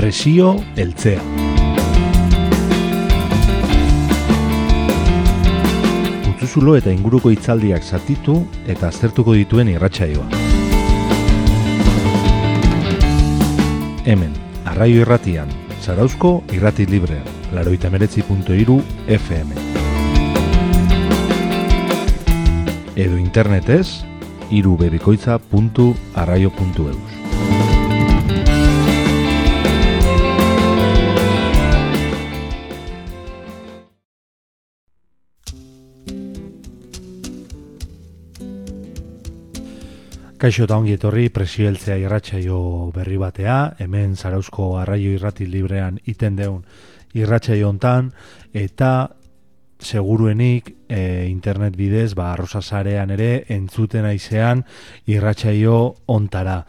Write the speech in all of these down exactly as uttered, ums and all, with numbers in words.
Presio heltzea. Putzuzulo eta inguruko hitzaldiak zatitu eta aztertuko dituen irratsaioa. Hemen, Arraio Irratian, Zarauzko Irrati Librean, laurogeita hemeretzi puntu hiru F M. Edo internetez, irubebikoitza puntu arraio puntu eus. Kaixo eta ongi etorri Presio heltzea irratsaio berri batea, hemen Zarauzko Arraio Irrati Librean iten deun irratsaio hontan, eta seguruenik e, internet bidez, ba, Arrosa Sarean ere entzuten aizean irratsaio hontara.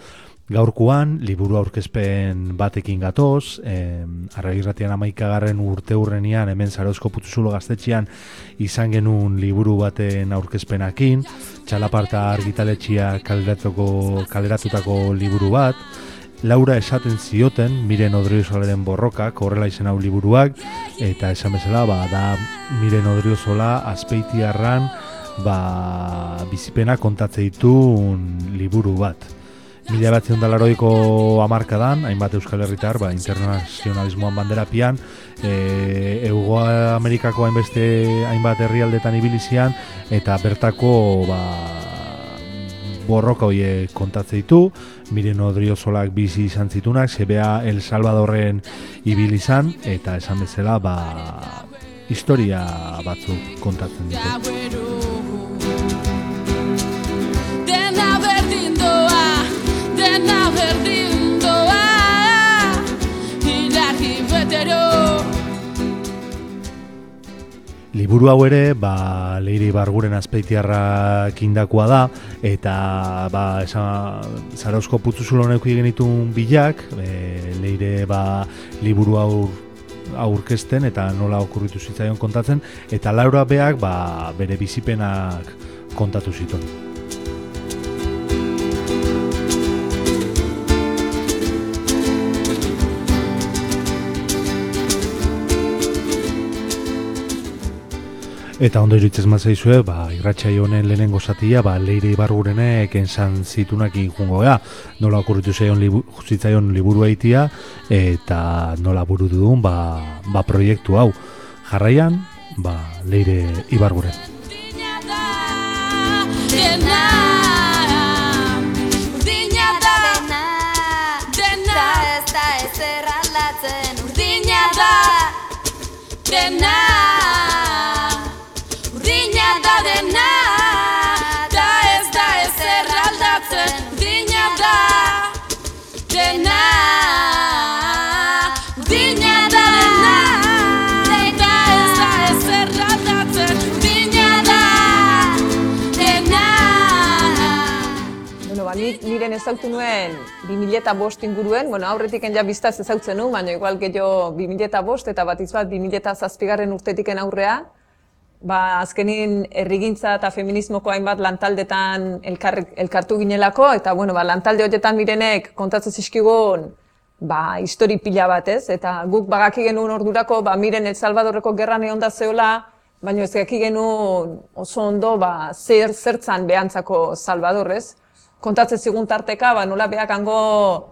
Gaurkoan, liburu aurkezpen batekin gatoz, e, Arraio Irratian hamaikagarren urte hurrenean, hemen Zarauzko Putzuzulo gaztetxean izan genuen liburu baten aurkezpenakin, Txalaparta argitaletxea kaleratutako, kaleratutako liburu bat, Laura esaten zioten, Miren Odriosolaren borrokak, horrela izen hau liburuak, eta esan bezala, ba, da Miren Odriozola Azpeitiarran ba, bizipena kontatze ditun liburu bat. Mila batzen da laurogeiko hamarkadan, hainbat Euskal Herritar, ba, internazionalismoan banderapian, e, Hego Amerikako hainbeste hainbat herrialdetan ibilizian, eta bertako ba, borroka horiek kontatze ditu, Miren Odriozolak bizi izan zitunak, zebea El Salvadorren ibili izan, eta esan bezala, ba, historia batzuk kontatzen ditu. Dena berdin doa, dena berdin doa, hilarri betero. Liburu hau ere, ba, Leire Ibarguren Azpeitiarrak indakoa da, eta ba, esan, Zarauzko Putzuzulo neuki genitun bilak, e, Leire ba, liburu hau aurkezten eta nola okurritu zitzaion kontatzen, eta Laura beak ba, bere bizipenak kontatu zituen. Eta ondo iruditzen mazaizue, ba, irratsaio honen lehenengo zatia, ba, Leire Ibargurenek entzan zitunak injungo gea, nola okurritu zaion libu, zitzaion liburu eitia, eta nola buru duen ba, ba proiektu hau. Jarraian, ba, Leire Ibarguren. Niren ezautu nuen bi mila bost inguruen, bueno, aurretik ja biztaz ezautzen nuen, baina igual gehiago bi mila bost eta bat izbat bi mila zazpigarren urtetiken aurrea, ba, azkenin herrigintza eta feminismoko hainbat lantaldetan elkar, elkartu ginelako, eta bueno, ba, lantalde horietan Mirenek kontatzen zizkigun ba, histori pila bat ez, eta guk bagaki genuen ordurako ba, Miren El Salvadorreko gerran egon da zeola, baina ez gaki genuen oso ondo ba, zer zertzan behantzako Salvadorrez. Kontatzen zigun tarteka, ba, nola behak hango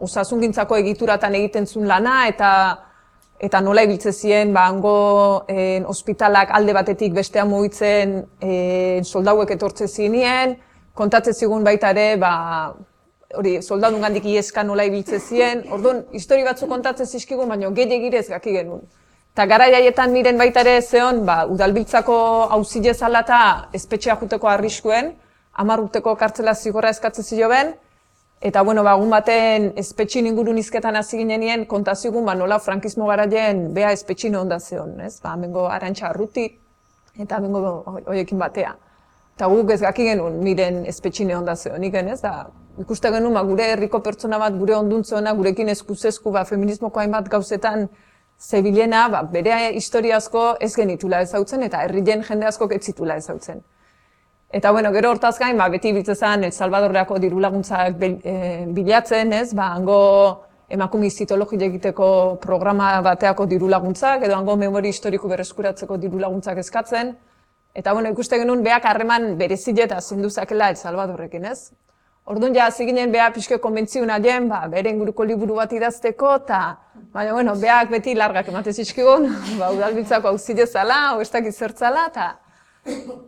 osasungintzako egituratan egiten zuen lana, eta eta nola ibiltzen ziren ba, hango eh, ospitalak alde batetik bestea mugitzen eh, soldauek etortzen zinien, kontatzen zigun baita ere, ba, hori, soldadungandik ieska nola ibiltzen ziren, orduan, histori batzuk kontatzen zizkigun, baina gehiagirez gaki genuen. Eta garai haietan Miren baita ere zeon, ba, udalbiltzako auzile zala eta espetxea juteko arriskuen, hamar urteko kartzela zigorra eskatzen zioben, eta bueno, ba, egun baten espetxin ingurun izketan hasi ginenien, kontazigun ba, nola frankismo garaien bea espetxin onda zeon, ez? Ba, amengo Arantxa Arruti, eta amengo hoiekin batea. Eta guk ez gaki genuen Miren espetxin onda zeon, iken, ez? Da, ikuste genuen ba, gure herriko pertsona bat, gure onduntzuena, gurekin eskuzesku, ba, feminismoko hainbat gauzetan zebilena, ba, bere historia asko ez genitula ezautzen, eta herrien jende asko ez zitula ezautzen. Eta bueno, gero hortaz gain, ba, beti biltzen zen El Salvadorreako diru laguntzak bilatzen, ez? Ba, hango emakume zitologia egiteko programa bateako diru laguntzak, edo hango memori historiko berreskuratzeko diru laguntzak eskatzen. Eta bueno, ikuste genuen beak harreman berezile eta zinduzakela El Salvadorrekin, ez? Orduan ja, hasi ginen beha pixke konbentziun aien, ba, bere inguruko liburu bat idazteko, eta, baina, bueno, beak beti largak ematez izkigun, ba, udalbiltzako auzile zala, o ez dakit zertzala, eta,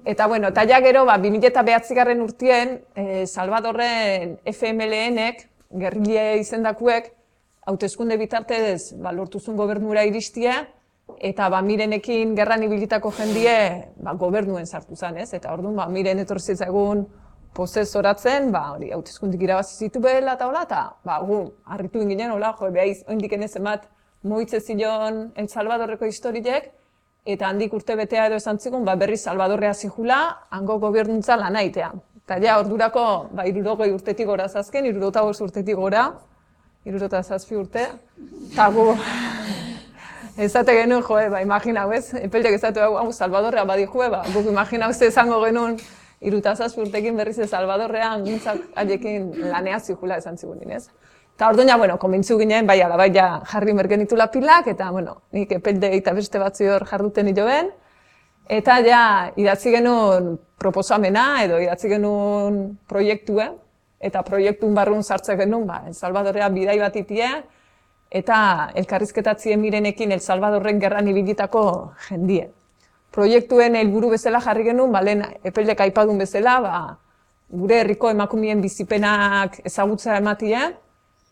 eta, bueno, eta ja gero, ba, bi mila bederatzigarren urtien, eh, Salvadorren F M L N-ek, gerrile izendakuek, hauteskunde bitartez, ba, lortuzun gobernura iristia, eta ba, Mirenekin gerran ibilitako jendie, ba, gobernuen sartu zen, ez? Eta orduan, ba, Miren etorri zitzaigun posesoratzen, ba, hori, hauteskundik irabazi zitu behela eta hola, eta, ba, gu, harritu inginen, hola, jo, behaiz, oindik enezen bat, moitze zion El Salvadorreko historiek, eta handik urte betea edo esan zigun, ba, berri Salvadorrea zihula, hango gobernuntza lan aitea. Eta ja, ordurako, ba, irurogei urtetik gora zazken, irurogei urtetik gora, irurogei zazpi urte, eta gu, ezate genuen, joe, ba, imaginau ez, epeldek ezatu hau Salvadorrea badi joe, ba, guk imaginau ze izango genuen, irutazaz urtekin berriz ez Salvadorrean gintzak haiekin lanea zihula esan zigunin, ez? Eta orduan, ja, bueno, konbintzu ginen, bai, ala, bai, ja, jarri mergenitula pilak, eta, bueno, nik epelde eta beste batzu hor jarduten nioen, eta, ja, idatzi genuen proposamena, edo idatzi genuen proiektue, eta proiektun barrun sartzen genuen, ba, El Salvadorrea bidai bat itie, eta elkarrizketatzien Mirenekin El Salvadorren gerran ibilitako jendie. Proiektuen helburu bezala jarri genuen, ba, lehen epeldek aipadun bezala, ba, gure herriko emakumeen bizipenak ezagutza ematia,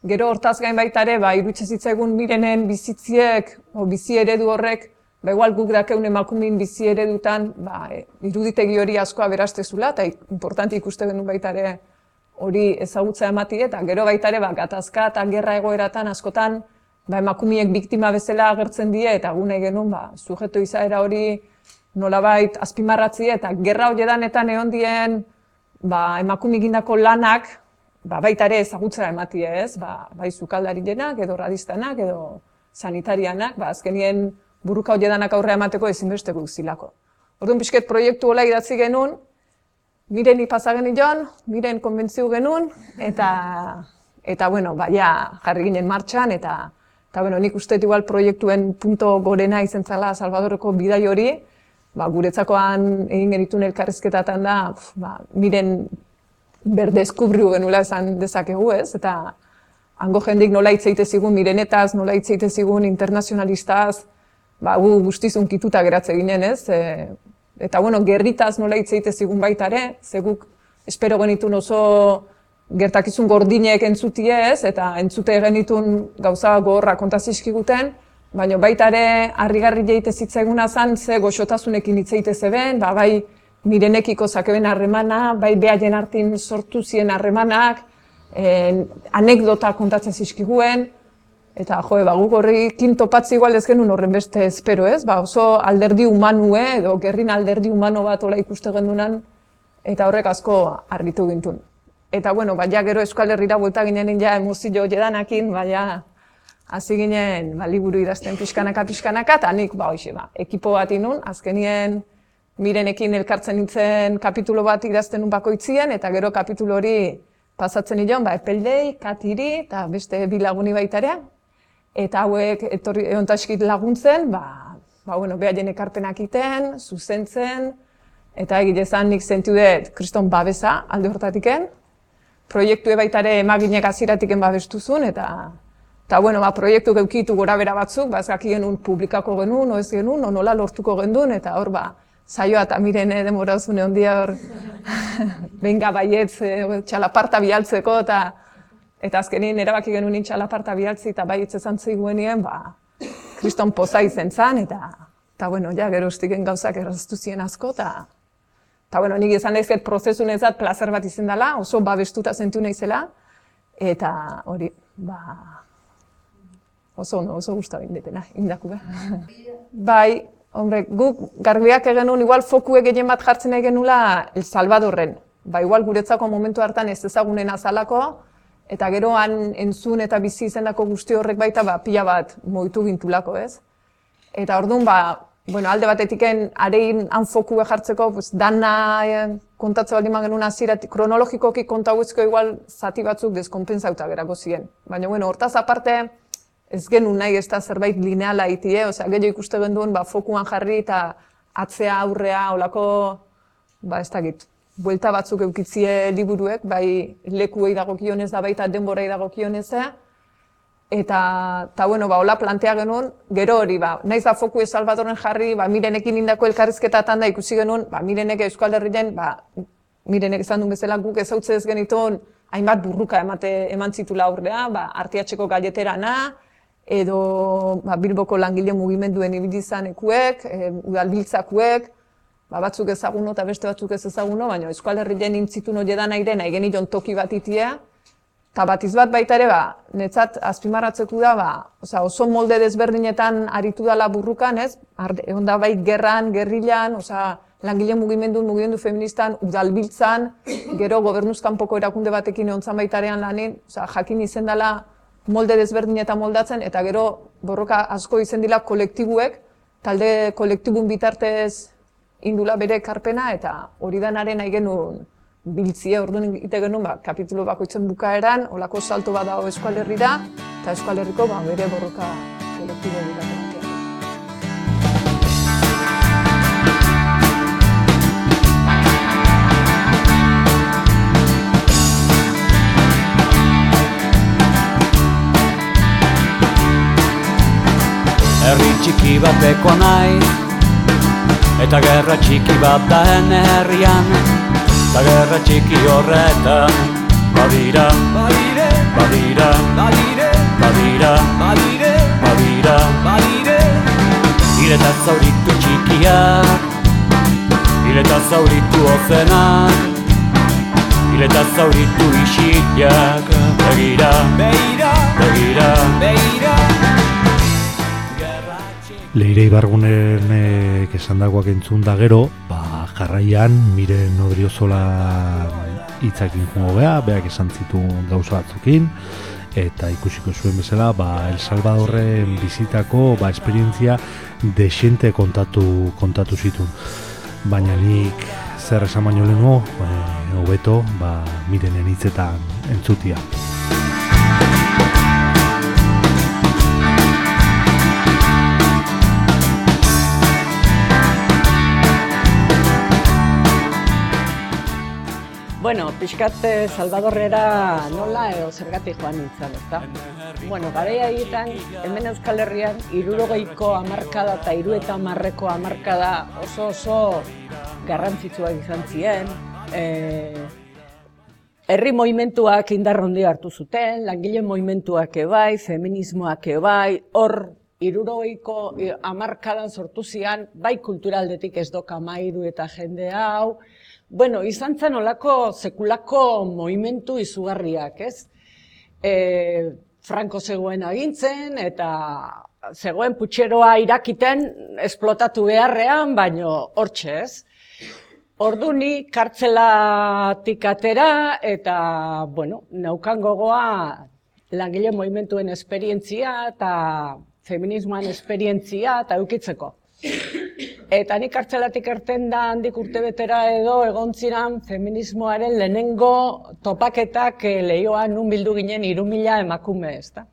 gero hortaz gain baita ere, ba, irutxe zitzaigun Mirenen bizitziek, o bizi eredu horrek, ba, igual guk dakeun emakumeen bizi eredutan, ba, iruditegi hori askoa berastezula, eta importanti ikuste genuen baita ere hori ezagutza ematia, eta gero baita ere, ba, gatazka eta gerra egoeratan askotan, ba, emakumeek biktima bezala agertzen die, eta gune genuen, ba, sujeto izaera hori nolabait azpimarratzie, eta gerra horiedanetan egon dien ba, emakume egindako lanak ba, baita ere ezagutza ematie, ez? Ba, bai sukaldarienak, edo radistanak, edo sanitarianak, ba, azkenien buruka horiedanak aurrea emateko ezinbesteko zilako. Orduan pixket proiektu hola idatzi genuen, Mireni pasagen ion, Miren konbentziu genuen, eta, eta bueno, ba, ja, jarri ginen martxan, eta, eta bueno, nik uste igual proiektuen punto gorena izen zala Salvadorreko bidai hori, ba, guretzakoan egin genituen elkarrizketatan da, ba, Miren berdeskubriu genuela esan dezakegu, ez? Eta hango jendik nola hitz egite zigun Mirenetaz, nola hitz egite zigun internazionalistaz, ba, gu guztizun kituta geratze ginen, ez? E, eta bueno, gerritaz nola hitz egite zigun baita ere, ze guk espero genitun oso gertakizun gordinek entzutie, ez? Eta entzute genitun gauza gogorra kontazizkiguten, baina baita ere harrigarri jeite zitzaiguna zen, ze goxotasunekin hitz egite zeben, ba, bai Mirenekiko zakeben harremana, bai behaien artin sortu ziren harremanak, eh, anekdota kontatzen zizkiguen, eta jo, ba, guk horrekin topatzi igual ez genuen horren beste espero, ez? Ba, oso alderdi humanue, edo gerrin alderdi humano bat ola ikuste gendunan, eta horrek asko harritu gintun. Eta, bueno, ba, ja gero Euskal Herrira buelta ginen ja emozio jedanakin, ba, ja, hasi ginen, ba, liburu idazten pixkanaka-pixkanaka, eta nik, ba, hoxe, ba, ekipo bat inun, azkenien Mirenekin elkartzen nintzen kapitulo bat idazten un bakoitzien, eta gero kapitulo hori pasatzen nion, ba, epeldei, katiri, eta beste bi laguni baitarea. Eta hauek etorri eontaskit laguntzen, ba, ba, bueno, behaien ekarpenak iten, zuzentzen, eta egitezan nik zentu dut kriston babesa alde hortatiken. Proiektue baitare emaginek aziratiken babestuzun, eta eta bueno, ba, proiektu geukitu gora bera batzuk, ba, ez gaki genuen publikako genuen, o ez genuen, o nola lortuko genuen, eta hor, ba, saioa eta Mirene demorazune ondia hor, benga baietz, txalaparta bialtzeko, eta eta azkenin erabaki genuen txalaparta bialtzi, eta baietz esan zeiguenien, ba, kriston poza izen zan, eta, eta bueno, ja, gero estiken gauzak erraztu ziren asko, eta, eta bueno, nik izan daizket prozesun ezat plazer bat izen dela, oso babestuta zentu naizela, eta hori, ba, oso, no, oso guztu indetena, indaku, be. Bai, hombre, guk garbiak egenuen, igual fokue gehien bat jartzen nahi genula El Salvadorren. Ba, igual guretzako momentu hartan ez ezagunen azalako, eta gero han entzun eta bizi izendako guzti horrek baita, ba, pila bat moitu gintulako, ez? Eta orduan, ba, bueno, alde batetiken arein han fokue jartzeko, pues, dana kontatzen baldin magenun hasieratik, kronologikoki kontauezko igual zati batzuk deskonpentsauta gerako ziren. Baina, bueno, hortaz aparte, ez genuen nahi ez da zerbait lineala itie, osea, gehiago ikuste genduen, ba, fokuan jarri eta atzea aurrea, olako, ba, ez dakit, buelta batzuk eukitzie liburuek, bai lekuei dagokionez da baita denborai dagokionezea, eta, eta bueno, ba, hola plantea genuen, gero hori, ba, naiz da foku Salvadoren jarri, ba, Mirenekin indako elkarrizketatan da ikusi genuen, ba, Mirenek Euskal Herrien, ba, Mirenek esan duen bezala guk ezautze ez genituen, hainbat burruka emate, eman zitula aurrea, ba, Artiatxeko galleterana, edo ba, Bilboko langile mugimenduen ibili izanekuek, e, udalbiltzakuek, ba, batzuk ezaguno eta beste batzuk ez ezaguno, baina Euskal Herrien intzitun hori edan aire nahi genion toki bat itia, eta batiz bat baita ere, ba, netzat azpimarratzeku da, ba, oza, oso molde desberdinetan aritu dela burrukan, ez? Egon da bai gerran, gerrilan, oza, langile mugimendu, mugimendu feministan, udalbiltzan, gero gobernuzkanpoko erakunde batekin egon zan baitarean lanin, oza, jakin izen dela molde desberdinetan moldatzen, eta gero borroka asko izen dila kolektibuek, talde kolektibun bitartez indula bere ekarpena, eta hori danaren nahi genuen biltzie, orduan egite genuen, ba, kapitulu bakoitzen bukaeran, olako salto bat dago Euskal Herrira, eta Euskal Herriko ba, bere borroka kolektibo bilatu batean. Herri txiki bateko naiz, eta gerra txiki bat da hene herrian, eta gerra txiki horretan, badira, badire, badira, badire, badira, badire, badira, badire, hileta zauritu txikiak, hileta zauritu ozenak, hileta zauritu isiak, begira, begira, begira, begira. Leire Ibargunenek esandakoak entzun da gero, ba, jarraian Miren Odriozola hitzakin jungo geha, beak esan zituen gauza batzukin, eta ikusiko zuen bezala, ba, El Salvadorren bizitako ba, esperientzia desente kontatu, kontatu zituen. Baina nik zer esan baino lehenko, hobeto, ba, Mirenen hitzetan entzutia. Bueno, pixkat Salvadorrera nola edo zergatik joan nintzen, ezta? Bueno, garaia egiten, hemen Euskal Herrian, hirurogeiko hamarkada eta hiru eta hamarreko hamarkada oso oso garrantzitsuak izan ziren. E, herri movimentuak indar handia hartu zuten, langile movimentuak ebai, feminismoak ebai, hor hirurogeiko hamarkadan sortu zian, bai kulturaldetik ez doka mairu eta jende hau. Bueno, izan zen olako sekulako movimentu izugarriak, ez? E, Franco zegoen agintzen eta zegoen putxeroa irakiten esplotatu beharrean, baino hortxe, ez? Ordu ni kartzelatik atera eta, bueno, neukan gogoa langile movimentuen esperientzia eta feminismoan esperientzia eta eukitzeko. Eta nik kartzelatik erten da handik urtebetera edo egon ziren feminismoaren lehenengo topaketak lehioan nun bildu ginen hiru mila emakume, ezta?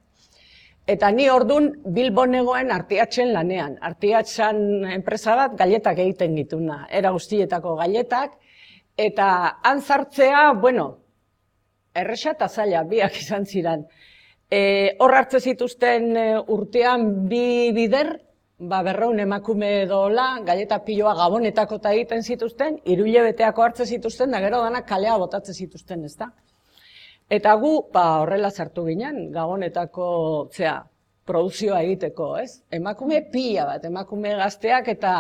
Eta ni ordun Bilbon negoen Artiatxen lanean. Artiatxan enpresa bat galletak egiten gituna, era guztietako galletak, eta han sartzea, bueno, erresa eta zaila, biak izan ziren. E, hor hartze zituzten urtean bi bider, ba, berreun emakume dola, galleta piloa gabonetako eta egiten zituzten, hiru hilabeteako hartze zituzten, da gero danak kalea botatze zituzten, ezta? Eta gu, ba, horrela sartu ginen, gabonetako, zera, produzioa egiteko, ez? Emakume pila bat, emakume gazteak, eta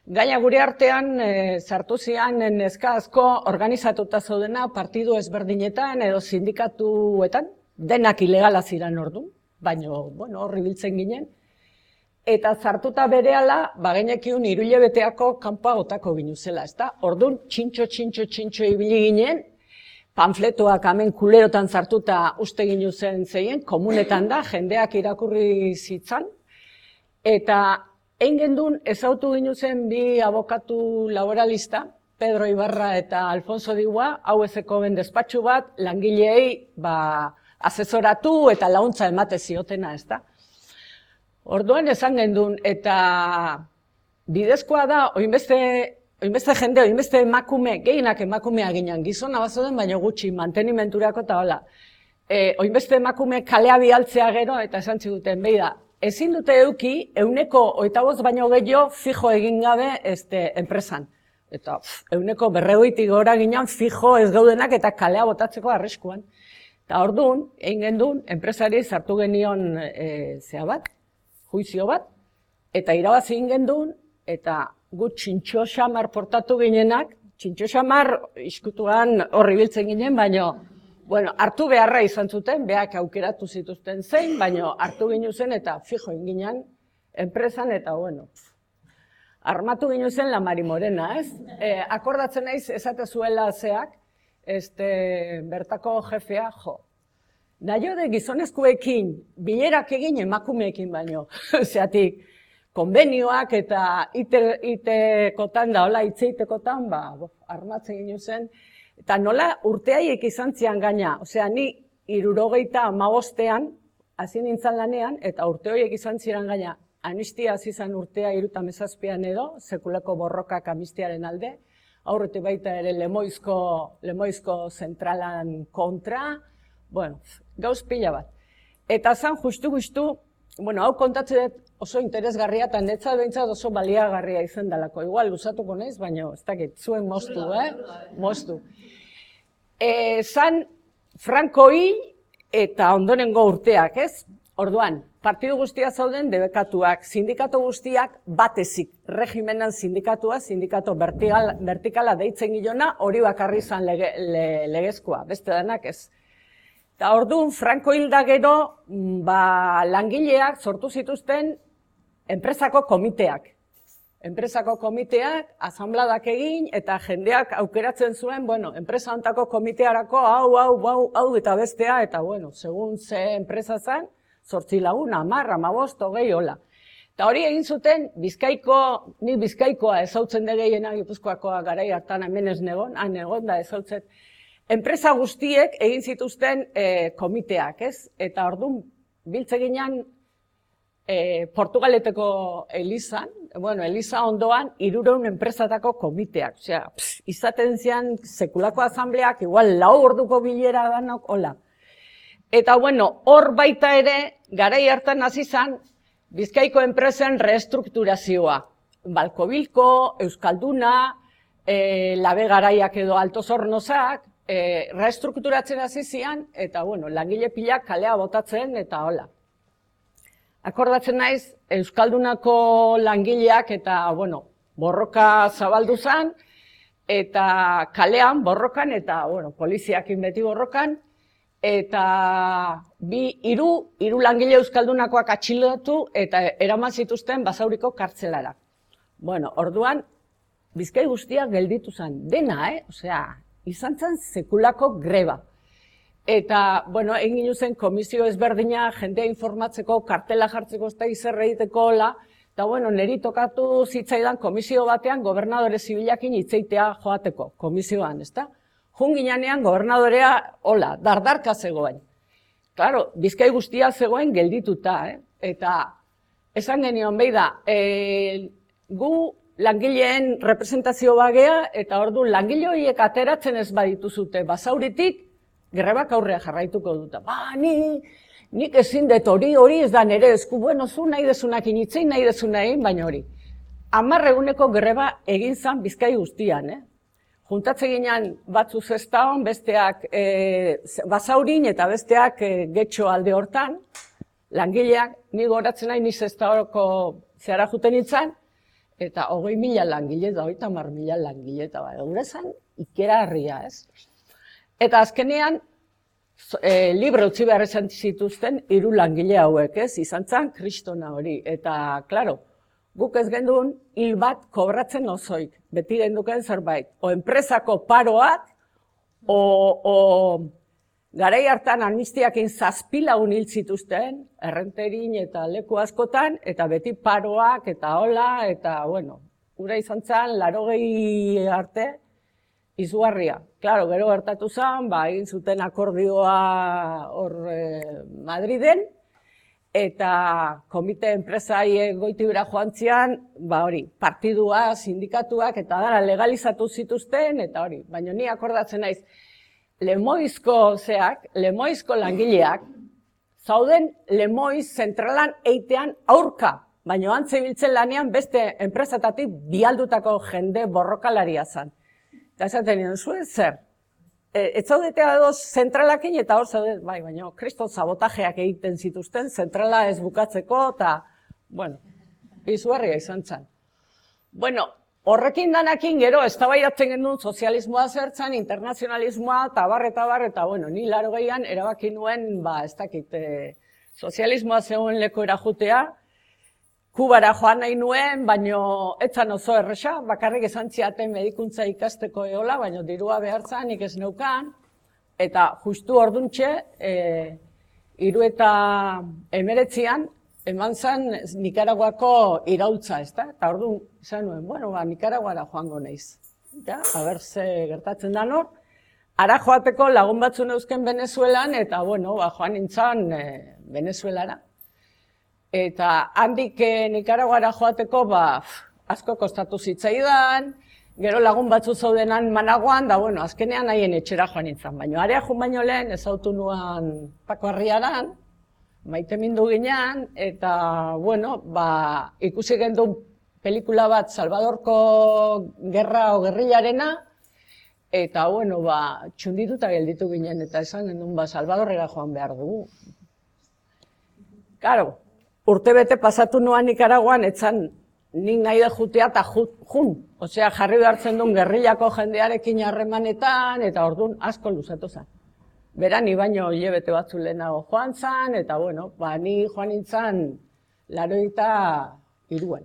gaina gure artean e, sartu zian neska asko organizatuta zaudena partidu ezberdinetan edo sindikatuetan, denak ilegala ziren ordu, baina, bueno, horri biltzen ginen, eta sartuta berehala, bagenekiun hiru hilabeteako kanpoa botako ginu zela, ezta? Ordun txintxo, txintxo, txintxo ibili ginen, panfletoak hemen kulerotan sartuta uste ginu zen zeien, komunetan da, jendeak irakurri zitzan, eta egin gendun ezautu ginu zen bi abokatu laboralista, Pedro Ibarra eta Alfonso Digua, hau ezeko ben despatxu bat, langileei ba, asesoratu eta launtza emate ziotena, ez da? Orduan esan gendun, eta bidezkoa da, oinbeste, oinbeste jende, oinbeste emakume, gehienak emakumea ginen, gizona bazoden, baina gutxi, mantenimenturako eta hola. E, oinbeste emakume kalea bialtzea gero, eta esan ziguten, behi da, ezin dute euki, euneko oita bost baino gehiago fijo egin gabe este, enpresan. Eta pff, euneko berregoitik gora ginen fijo ez gaudenak eta kalea botatzeko arriskuan. Eta orduan, egin gendun, enpresari sartu genion e, zea bat, juizio bat, eta irabazi egin gendun, eta gu txintxo xamar portatu ginenak, txintxo xamar iskutuan horri biltzen ginen, baino, bueno, hartu beharra izan zuten, beak aukeratu zituzten zein, baino hartu ginu zen eta fijo egin ginen enpresan, eta bueno, armatu ginu zen la Mari Morena, ez? E, akordatzen naiz esate zuela zeak, este, bertako jefea, jo, nahi de gizonezkoekin, bilerak egin emakumeekin baino, zeatik, konbenioak eta itekotan da, hola, itzeitekotan, ba, armatzen ginu zen, eta nola urteaiek izan zian gaina, osea, ni hirurogeita hamabostean, hasi nintzen lanean, eta urte horiek izan ziren gaina, amnistia hasi zen urtea hirurogeita hamazazpian edo, sekulako borrokak amnistiaren alde, aurretik baita ere Lemoizko, Lemoizko zentralan kontra, bueno, gauz pila bat. Eta zan justu-justu, bueno, hau kontatzen dut oso interesgarria, eta netzat behintzat oso baliagarria izan dalako. Igual, usatuko naiz, baina ez dakit, zuen moztu, eh? Moztu. E, zan Franco hil eta ondonengo urteak, ez? Orduan, partidu guztia zauden debekatuak, sindikatu guztiak batezik, regimenan sindikatua, sindikatu vertikal, vertikala deitzen gilona, hori bakarri izan lege, le, legezkoa, beste denak ez. Eta orduan, Franco hilda gero, ba, langileak sortu zituzten enpresako komiteak. Enpresako komiteak, asambladak egin, eta jendeak aukeratzen zuen, bueno, enpresa hontako komitearako, hau, hau, hau, hau, eta bestea, eta bueno, segun ze enpresa zen, zortzi lagun, amar, amabost, hogei, hola. Eta hori egin zuten, Bizkaiko, ni Bizkaikoa ezautzen de gehiena, Gipuzkoakoa garai hartan hemen ez negon, han egon da ezautzen, enpresa guztiek egin zituzten e, komiteak, ez? Eta orduan, biltze ginen e, Portugaleteko Elizan, bueno, Eliza ondoan, hirurogeun enpresatako komiteak. Osea, pss, izaten zian sekulako asambleak, igual lau orduko bilera danok, hola. Eta bueno, hor baita ere, garai hartan hasi zan, Bizkaiko enpresen reestrukturazioa. Balkobilko, Euskalduna, e, Labe Garaiak edo Alto Zornozak, E, reestrukturatzen hasi zian, eta bueno, langile pilak kalea botatzen, eta hola. Akordatzen naiz, Euskaldunako langileak eta, bueno, borroka zabaldu zen, eta kalean borrokan, eta, bueno, poliziakin beti borrokan, eta bi, hiru, hiru langile Euskaldunakoak atxilotu, eta eraman zituzten Basauriko kartzelara. Bueno, orduan, Bizkai guztiak gelditu zen, dena, eh? Osea, izan zen sekulako greba. Eta, bueno, egin zen komisio ezberdina, jendea informatzeko, kartela jartzeko, ez da izerre egiteko, hola, eta, bueno, niri tokatu zitzaidan komisio batean gobernadore zibilakin hitzeitea joateko, komisioan, ez da? Jun ginean gobernadorea, hola, dardarka zegoen. Claro, Bizkai guztia zegoen geldituta, eh? Eta, esan genion, behi da, e, gu, langileen representazio bagea, eta ordu langile horiek ateratzen ez badituzute Basauritik, grebak aurrea jarraituko duta. Ba, ni, nik ezin dut hori, hori ez da nere esku, bueno, zu nahi dezunak initzein, nahi dezunak egin, baina hori. Hamar eguneko greba egin zan Bizkai guztian, eh? Juntatze ginen batzu zestaon, besteak e, Basaurin eta besteak e, Getxo alde hortan, langileak, ni goratzen nahi ni zestaoroko zehara juten nintzen, eta hogei mila langile, eta hogeita hamar mila langile, eta ba, gure zen ikera harria, ez? Eta azkenean, e, libre utzi behar izan zituzten hiru langile hauek, ez? Izan zen kristona hori, eta, klaro, guk ez gendun hil bat kobratzen osoik, beti genduken zerbait, o enpresako paroak, o, o garai hartan amnistiakin zazpilagun hil zituzten, errenterin eta leku askotan, eta beti paroak eta hola, eta, bueno, gura izan zen, larogei arte, izugarria. Claro, gero gertatu zen, ba, egin zuten akordioa hor eh, Madriden, eta komite enpresai goitibera joan zian, ba hori, partidua, sindikatuak, eta dara legalizatu zituzten, eta hori, baina ni akordatzen naiz, Lemoizko zeak, Lemoizko langileak, zauden Lemoiz zentralan eitean aurka, baina antze biltzen lanean beste enpresatatik bialdutako jende borrokalaria zen. Eta esaten nien, zuen zer? Ez zaudete adoz zentralakin eta hor zaudet, bai, baina kriston sabotajeak egiten zituzten, zentrala ez bukatzeko, eta, bueno, izugarria izan zen. Bueno, horrekin danakin gero, eztabaidatzen genuen sozialismoa zertzen, internazionalismoa, eta bar, eta bar, eta, bueno, ni laro gehian erabaki nuen, ba, ez dakit, e, sozialismoa zegoen lekoera jutea, Kubara joan nahi nuen, baino etzan oso erresa, bakarrik esan ziaten medikuntza ikasteko eola, baino dirua behartzan, nik ez neukan, eta justu orduntxe, e, hiru eta emeretzian, eman zen Nikaraguako iraultza, ezta? Eta orduan, izan nuen, bueno, ba, Nikaraguara joango naiz. Ja, haber ze gertatzen da nor. Ara joateko lagun batzu neuzken Venezuelan, eta, bueno, ba, joan nintzen e, Venezuelara. Eta handik eh, Nikaraguara joateko, ba, asko kostatu zitzaidan, gero lagun batzu zaudenan Managuan, da, bueno, azkenean haien etxera joan nintzen. Baina area joan baino lehen, ezautu nuan Pako Arriaran, maite mindu ginean, eta, bueno, ba, ikusi gendun pelikula bat Salvadorko gerra o gerrillarena, eta, bueno, ba, txundituta gelditu ginen, eta esan gendun, ba, Salvadorrera joan behar dugu. Claro, urtebete pasatu nuan Nikaraguan, etzan nik nahi da jutea eta jun. Osea, jarri behartzen duen gerrillako jendearekin harremanetan, eta orduan asko luzatu zen. Bera, ni baino hilabete batzu lehenago joan zen, eta bueno, ba, ni joan nintzen laroita iruen.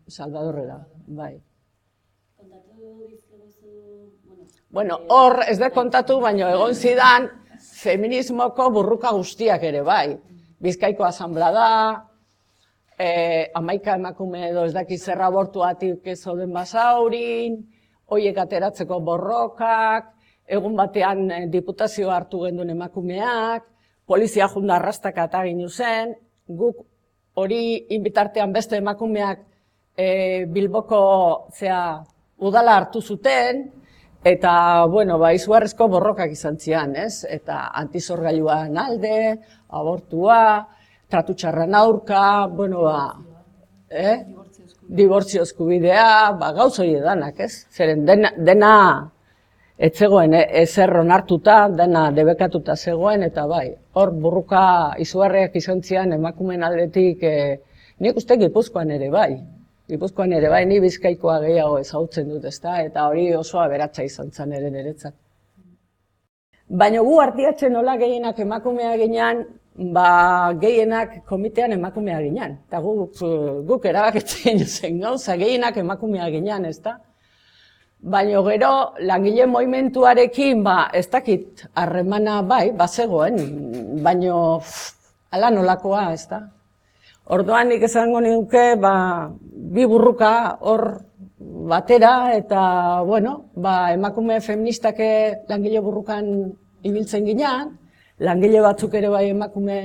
Salvadorrera, bai. Bueno, hor ez da kontatu, baino egon zidan, feminismoko burruka guztiak ere, bai. Bizkaiko asanblada, eh, amaika emakume edo ez daki zer abortuatik ez zoden basaurin, hoiek ateratzeko borrokak, egun batean eh, diputazioa hartu gendun emakumeak, polizia junda arrastaka eta ginu zen, guk hori inbitartean beste emakumeak eh, Bilboko zea, udala hartu zuten, eta, bueno, ba, izugarrizko borrokak izan zian, ez? Eta antizorgailuan alde, abortua, tratu txarran aurka, bueno, ba, eh? Dibortzio eskubidea, ba, gauz hori edanak, ez? Zeren dena, dena ez zegoen, eh? ezer onartuta, dena debekatuta zegoen, eta bai, hor burruka izugarriak izan zian emakumeen aldetik, eh, nik uste Gipuzkoan ere bai. Gipuzkoan ere bai, ni Bizkaikoa gehiago ezagutzen dut, ezta? Eta hori oso aberatsa izan zen ere niretzat. Baina gu artiatzen nola gehienak emakumea ginean, ba gehienak komitean emakumea ginean. Eta guk, guk erabakitzen zen gauza, gehienak emakumea ginean, ezta? Baina gero, langile movimentuarekin, ba, ez dakit harremana bai, bazegoen, baina hala nolakoa, ezta? Orduan nik esango nuke, ba, bi burruka hor batera, eta, bueno, ba, emakume feministake langile burrukan ibiltzen ginean, langile batzuk ere bai emakume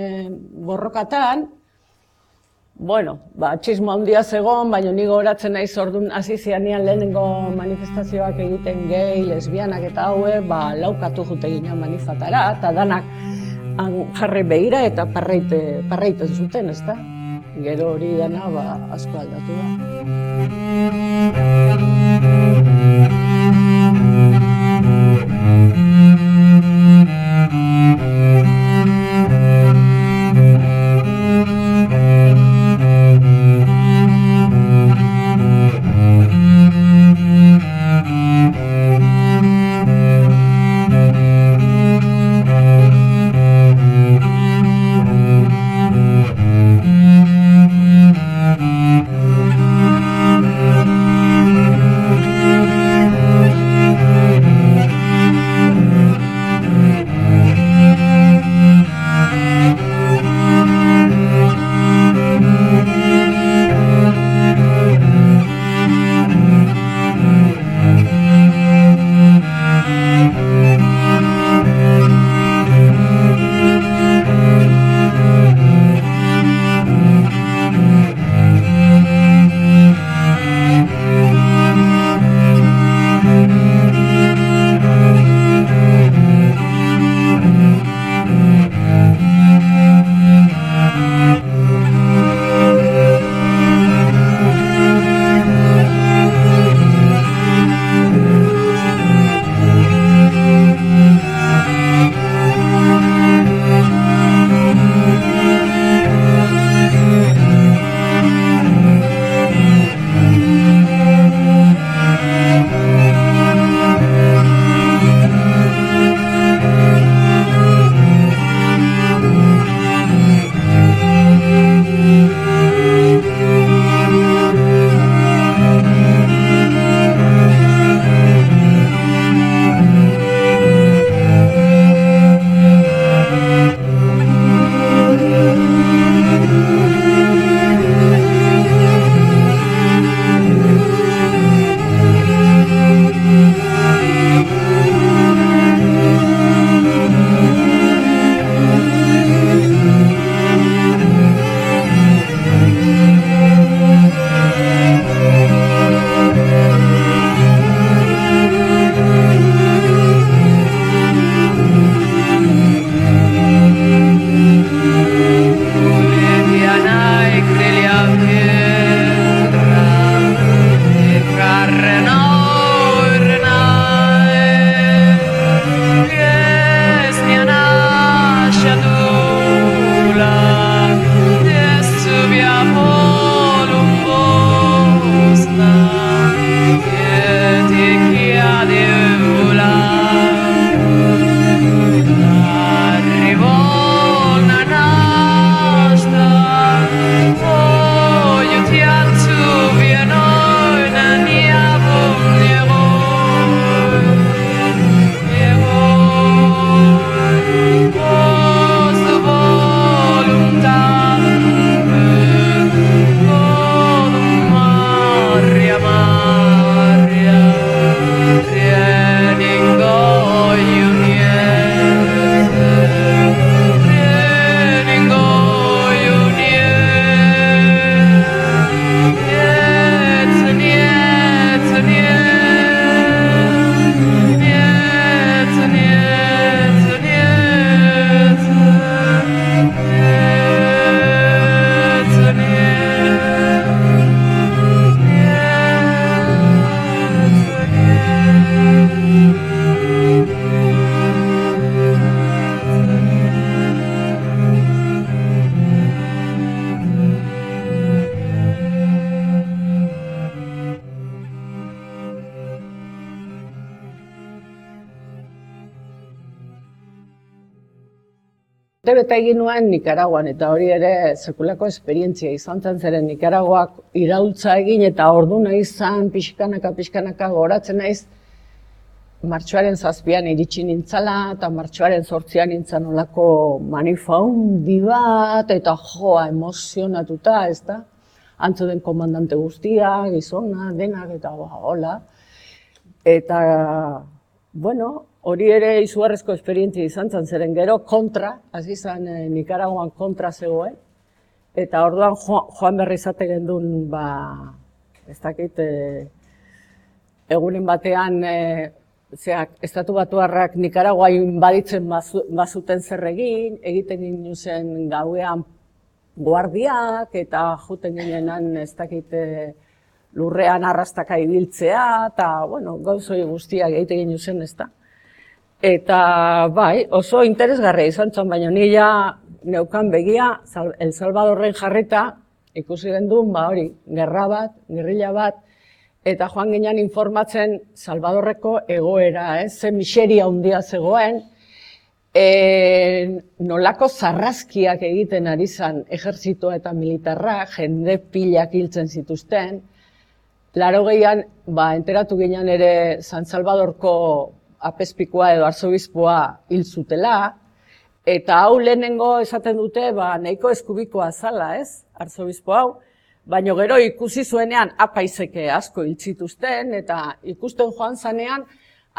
borrokatan, bueno, ba, txismo handia zegon, baina ni gogoratzen naiz orduan hasi zianean lehenengo manifestazioak egiten gehi, lesbianak eta haue, ba, laukatu jute ginean manifatara, eta danak jarri begira eta parreite, parreiten zuten, ezta? Gero hori dana, ba, asko aldatu Thank you. urte bete egin nuen Nikaraguan, eta hori ere sekulako esperientzia izan zen zeren Nikaraguak iraultza egin, eta ordu nahi izan pixkanaka, pixkanaka goratzen naiz, martxoaren zazpian iritsi nintzala, eta martxoaren zortzian nintzen olako manifaundi bat, eta joa, emozionatuta, ez da? Antzo den komandante guztia, gizona, denak, eta hola. Eta, bueno, hori ere izugarrizko esperientzia izan zen, zeren gero kontra, hasi zen eh, Nikaraguan kontra zegoen, eta orduan jo, joan berri izate gendun, ba, ez dakit, eh, egunen batean, eh, zeak, estatu batuarrak Nikaragua inbaditzen bazu, bazuten zer egin, egiten ginen zen gauean guardiak, eta juten ginenan, ez dakit, eh, lurrean arrastaka ibiltzea, eta, bueno, gauzoi guztiak egiten ginen zen, ez da. Eta, bai, oso interesgarria izan zen, baina ni ja neukan begia, El Salvadorren jarrita, ikusi gendun, ba hori, gerra bat, gerrilla bat, eta joan ginen informatzen Salvadorreko egoera, ez, ze miseria handia zegoen, e, nolako zarrazkiak egiten ari zen ejertzitoa eta militarra, jende pilak hiltzen zituzten, laurogeian, ba, enteratu ginen ere San Salvadorko apezpikoa edo arzobispoa hil zutela, eta hau lehenengo esaten dute, ba, nahiko eskubikoa zala, ez, arzobispo hau, baina gero ikusi zuenean apaizeke asko hil zituzten, eta ikusten joan zanean,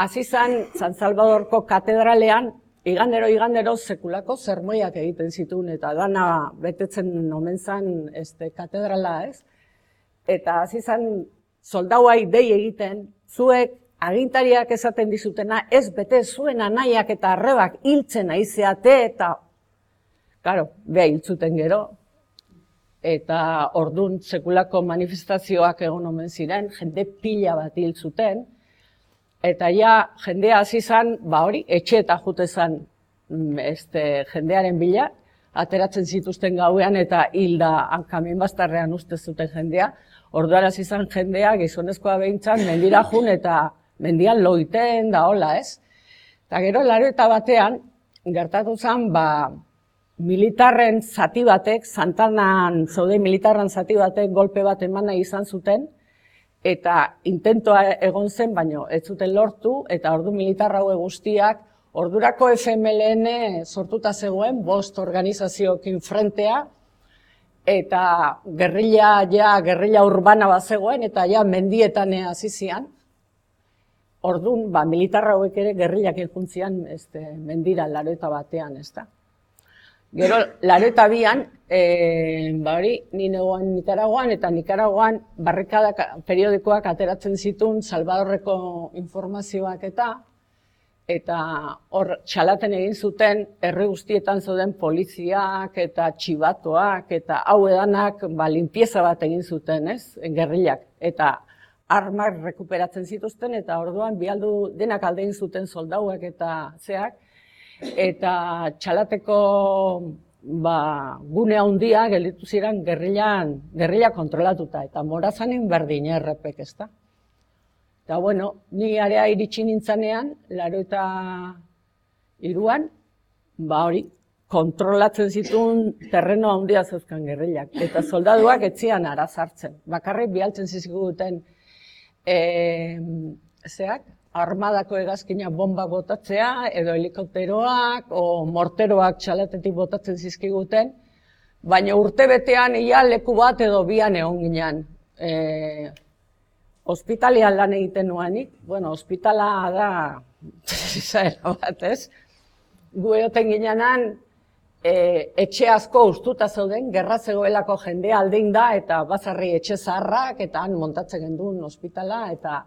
hasi zan San Salvadorko katedralean, igandero, igandero sekulako zermoiak egiten zituen, eta dana betetzen omen zan este, katedrala, ez, eta hasi zan soldauai dei egiten, zuek agintariak esaten dizutena, ez bete zuen anaiak eta arrebak hiltzen aizeate, eta, karo, beha hiltzuten gero, eta ordun sekulako manifestazioak egon omen ziren, jende pila bat hil zuten, eta ja jendea hasi zan, ba hori, etxe eta jute zan este, jendearen bila, ateratzen zituzten gauean eta hilda hankamin bastarrean uste zuten jendea, orduan hasi zan jendea gizonezkoa behintzan mendira jun eta mendian loiten da hola, ez? Eta gero laurogeita batean gertatu zen, ba, militarren zati batek, Santanan zaude militarren zati batek golpe bat emana izan zuten, eta intentoa egon zen, baino ez zuten lortu, eta ordu militar haue guztiak, ordurako F M L N sortuta zegoen, bost organizazioekin frentea, eta gerrilla, ja, gerrilla urbana bat zegoen, eta ja mendietan hasi zian. Ordun, ba, militarra hauek ere gerrillak iljuntzian este, mendira laurogeita batean, ez da. Gero, laurogeita bian, e, ba hori, ni negoan Nikaraguan, eta Nikaraguan barrikada periodikoak ateratzen zituen Salvadorreko informazioak eta, eta hor txalaten egin zuten herri guztietan zeuden poliziak eta txibatoak, eta hau edanak ba, limpieza bat egin zuten, ez, gerrillak, eta armak rekuperatzen zituzten, eta orduan bialdu denak alde egin zuten soldauak eta zeak, eta txalateko ba, gune handia gelditu ziren gerrillan, gerrilla kontrolatuta, eta Morazanen berdin errepek, ez da. Eta, bueno, ni area iritsi nintzanean, laurogeita hiruan, ba hori, kontrolatzen zituen terreno handia zeuzkan gerrillak, eta soldaduak etzian arazartzen. Bakarrik bialtzen zizkiguten e, zeak, armadako hegazkina bomba botatzea, edo helikopteroak, o morteroak txalatetik botatzen zizkiguten, baina urte betean ia leku bat edo bian egon ginen. E, Hospitalean lan egiten nuanik, bueno, hospitala da, zaera bat, ez? Gu egoten ginenan, e, etxe asko ustuta zeuden, gerra zegoelako jendea aldein da, eta bazarri etxe zaharrak, eta han montatzen genduen hospitala, eta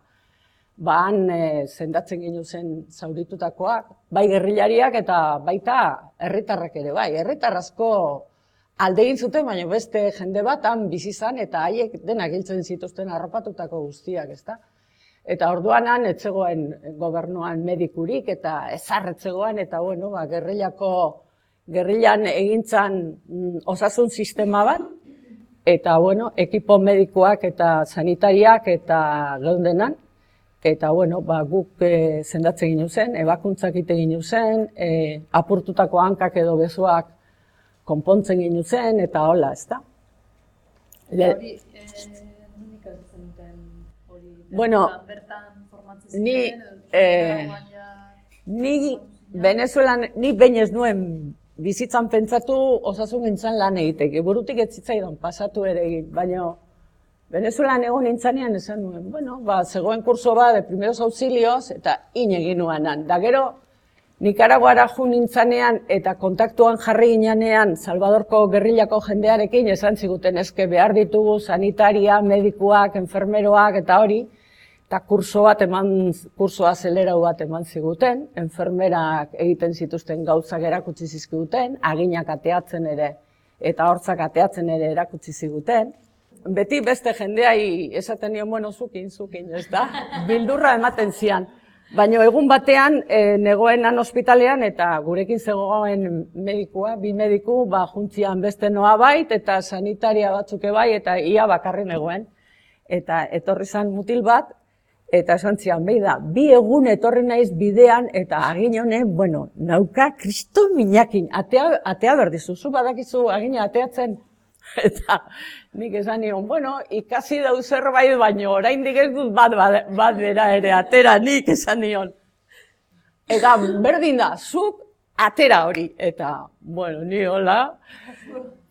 ba han e, zendatzen ginen zen zauritutakoak, bai gerrillariak eta baita herritarrak ere, bai, herritar asko alde egin zuten, baina beste jende bat han bizi zan, eta haiek denak hiltzen zituzten harrapatutako guztiak, ezta? Eta orduan han ez zegoen gobernuan medikurik, eta ezarretzegoen, eta bueno, ba, gerrillako, gerrillan egintzan mm, osasun sistema bat, eta bueno, ekipo medikuak eta sanitariak eta geundenan, eta bueno, ba, guk e, sendatze ginu zen, ebakuntzak ite ginu zen, e, apurtutako hankak edo besoak konpontzen ginu zen, eta hola, ez da? Hori, nondik hartzen duten hori? Bueno, bertan formatzen ni, ziren, eh, ni Venezuelan, ni behin ez nuen bizitzan pentsatu osasun gintzan lan egiteke, burutik ez zitzaidan pasatu ere egin, baina Venezuelan egon nintzanean esan nuen, bueno, ba, zegoen kurso bat de primeros auxilios eta in egin nuanan. Da gero, Nikaraguara jo nintzanean eta kontaktuan jarri ginean Salvadorko gerrilako jendearekin esan ziguten eske behar ditugu sanitaria, medikuak, enfermeroak eta hori, eta kurso bat eman, kurso azelerau bat eman ziguten, enfermerak egiten zituzten gauzak erakutsi zizkiguten, aginak ateatzen ere eta hortzak ateatzen ere erakutsi ziguten. Beti beste jendeai esaten nion, bueno, zukin, zukin, ez da? Bildurra ematen zian. Baina egun batean, e, negoenan ospitalean eta gurekin zegoen medikua, bi mediku, ba, juntzian beste noa bait, eta sanitaria batzuke bai, eta ia bakarri negoen. Eta etorri zan mutil bat, eta esan zian, behi da, bi egun etorri naiz bidean, eta agin honen, bueno, nauka kristo minakin, atea, atea berdizu, zu badakizu agina ateatzen. Eta nik esan nion, bueno, ikasi dau zerbait, baino oraindik ez dut bat, bat, bat bera ere atera nik esan nion. Eta berdin da, zuk atera hori. Eta, bueno, ni hola,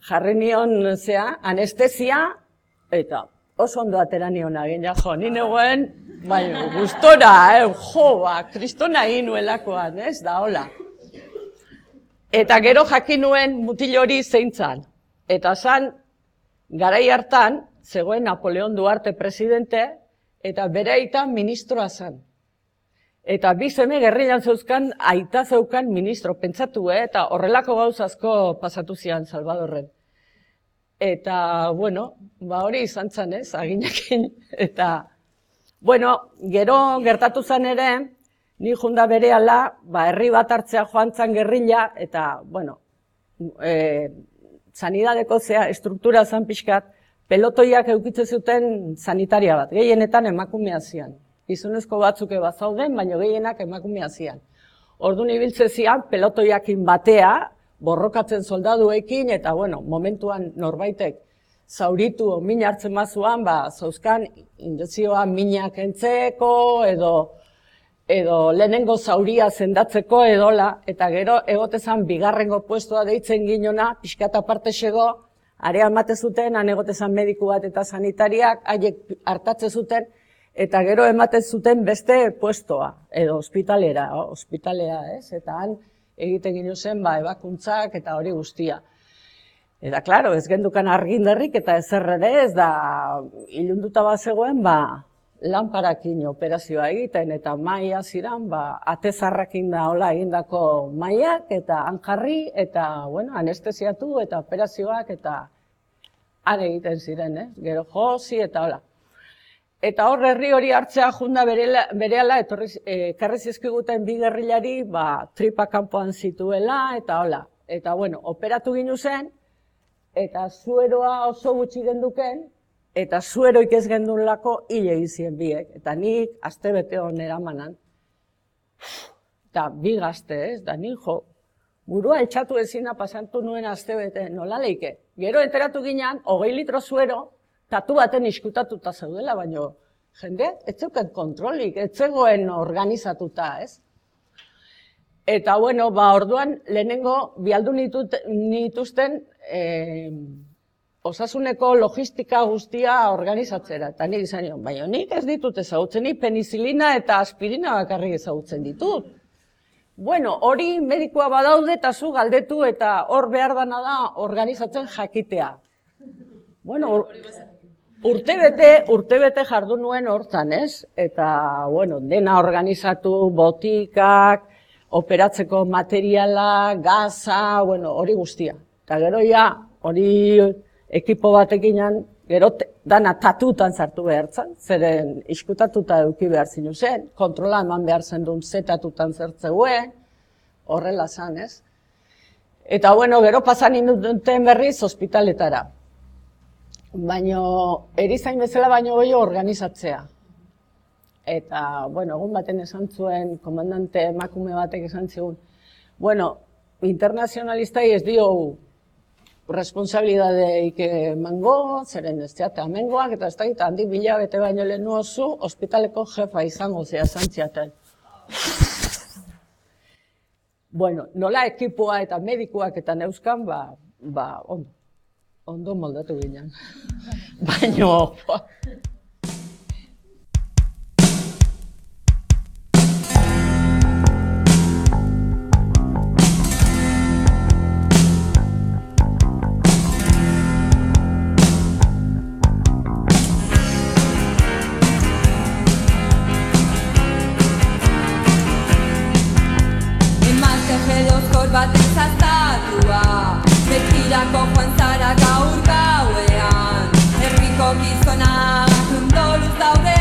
jarri nion zea, anestesia, eta oso ondo atera nion agin, ja, jo, ni negoen, baina, gustora, eh, jo, ba, kristona egin nuelakoan, ez, da, hola. Eta gero jakin nuen mutil hori zeintzan. Eta zan, garai hartan, zegoen Napoleon Duarte presidente, eta bere aitan ministroa zan. Eta bi seme gerrilan zeuzkan, aita zeukan ministro, pentsatu, eh? Eta horrelako gauzazko pasatu zian Salvadorren. Eta, bueno, ba hori izan zan, ez, aginakin. Eta, bueno, gero gertatu zan ere, ni junda berehala, ba, herri bat hartzea joan zan gerrila, eta, bueno, eh, sanidadeko zea estruktura zan pixkat, pelotoiak eukitze zuten sanitaria bat, gehienetan emakumea zian. Gizonezko batzuke bat zauden, baina gehienak emakumea zian. Orduan ibiltze zian, pelotoiakin batea, borrokatzen soldaduekin, eta bueno, momentuan norbaitek zauritu min hartzen mazuan, ba, zauzkan injekzioa minak entzeko, edo edo lehenengo zauria sendatzeko edola, eta gero egotezan bigarrengo puestua deitzen ginona, pixkat aparte xego, area emate zuten, han egotezan mediku bat eta sanitariak, haiek hartatze zuten, eta gero ematen zuten beste puestoa, edo ospitalera, ospitalea, ez? Eta han egiten gino zen, ba, ebakuntzak eta hori guztia. Eta, klaro, ez gendukan argindarrik eta ezerrere ez da, ilunduta bat zegoen, ba, lanparakin operazioa egiten, eta maia ziran, ba, atezarrakin da hola egindako maiak, eta hanjarri, eta, bueno, anestesiatu, eta operazioak, eta han egiten ziren, eh? Gero josi, eta hola. Eta hor herri hori hartzea junda berehala, ekarri zizkiguten bi gerrilari, ba, tripa kanpoan zituela, eta hola. Eta, bueno, operatu ginu zen, eta zueroa oso gutxi genduken, eta zueroik ez gendunlako hil egizien biek. Eta nik astebete hon eramanan. Eta bi gazte, ez? Da nik jo, burua etxatu ezina pasantu nuen astebete, nola leike. Gero enteratu ginean, hogei litro zuero, tatu baten iskutatuta zeudela, baino jendeak ez zeuken kontrolik, ez zegoen organizatuta, ez? Eta, bueno, ba, orduan, lehenengo, bialdu nituzten, eh, osasuneko logistika guztia organizatzera, eta nik izan nion, baina nik ez ditut ezagutzen, nik penizilina eta aspirina bakarrik ezagutzen ditut. Bueno, hori medikoa badaude eta zu galdetu eta hor behar dana da organizatzen jakitea. Bueno, urtebete, urtebete jardu nuen hortzan, ez? Eta, bueno, dena organizatu, botikak, operatzeko materiala, gaza, bueno, hori guztia. Eta gero ja, hori ekipo batekinan, gero dana tatutan sartu behar zen, zeren iskutatuta eduki behar zinu zen, kontrola eman behar zen duen zetatutan zertzeuen, horrela zan, ez? Eta, bueno, gero pasan induten berriz ospitaletara. Baina, erizain bezala baino gehiago organizatzea. eta, bueno, egun baten esan zuen, komandante emakume batek esan zigun, bueno, internazionalistai ez dio responsabilidadeik emango, zeren ez zeate amengoak, eta ez da gita handik bila bete baino lehen oso, ospitaleko jefa izango zea zantziaten. Bueno, nola ekipoa eta medikuak eta neuzkan, ba, ba, ondo, ondo moldatu ginen. Baino, baten zaztatua, betirako joan zara gaur gauean, herriko gizonak ondoluz daude,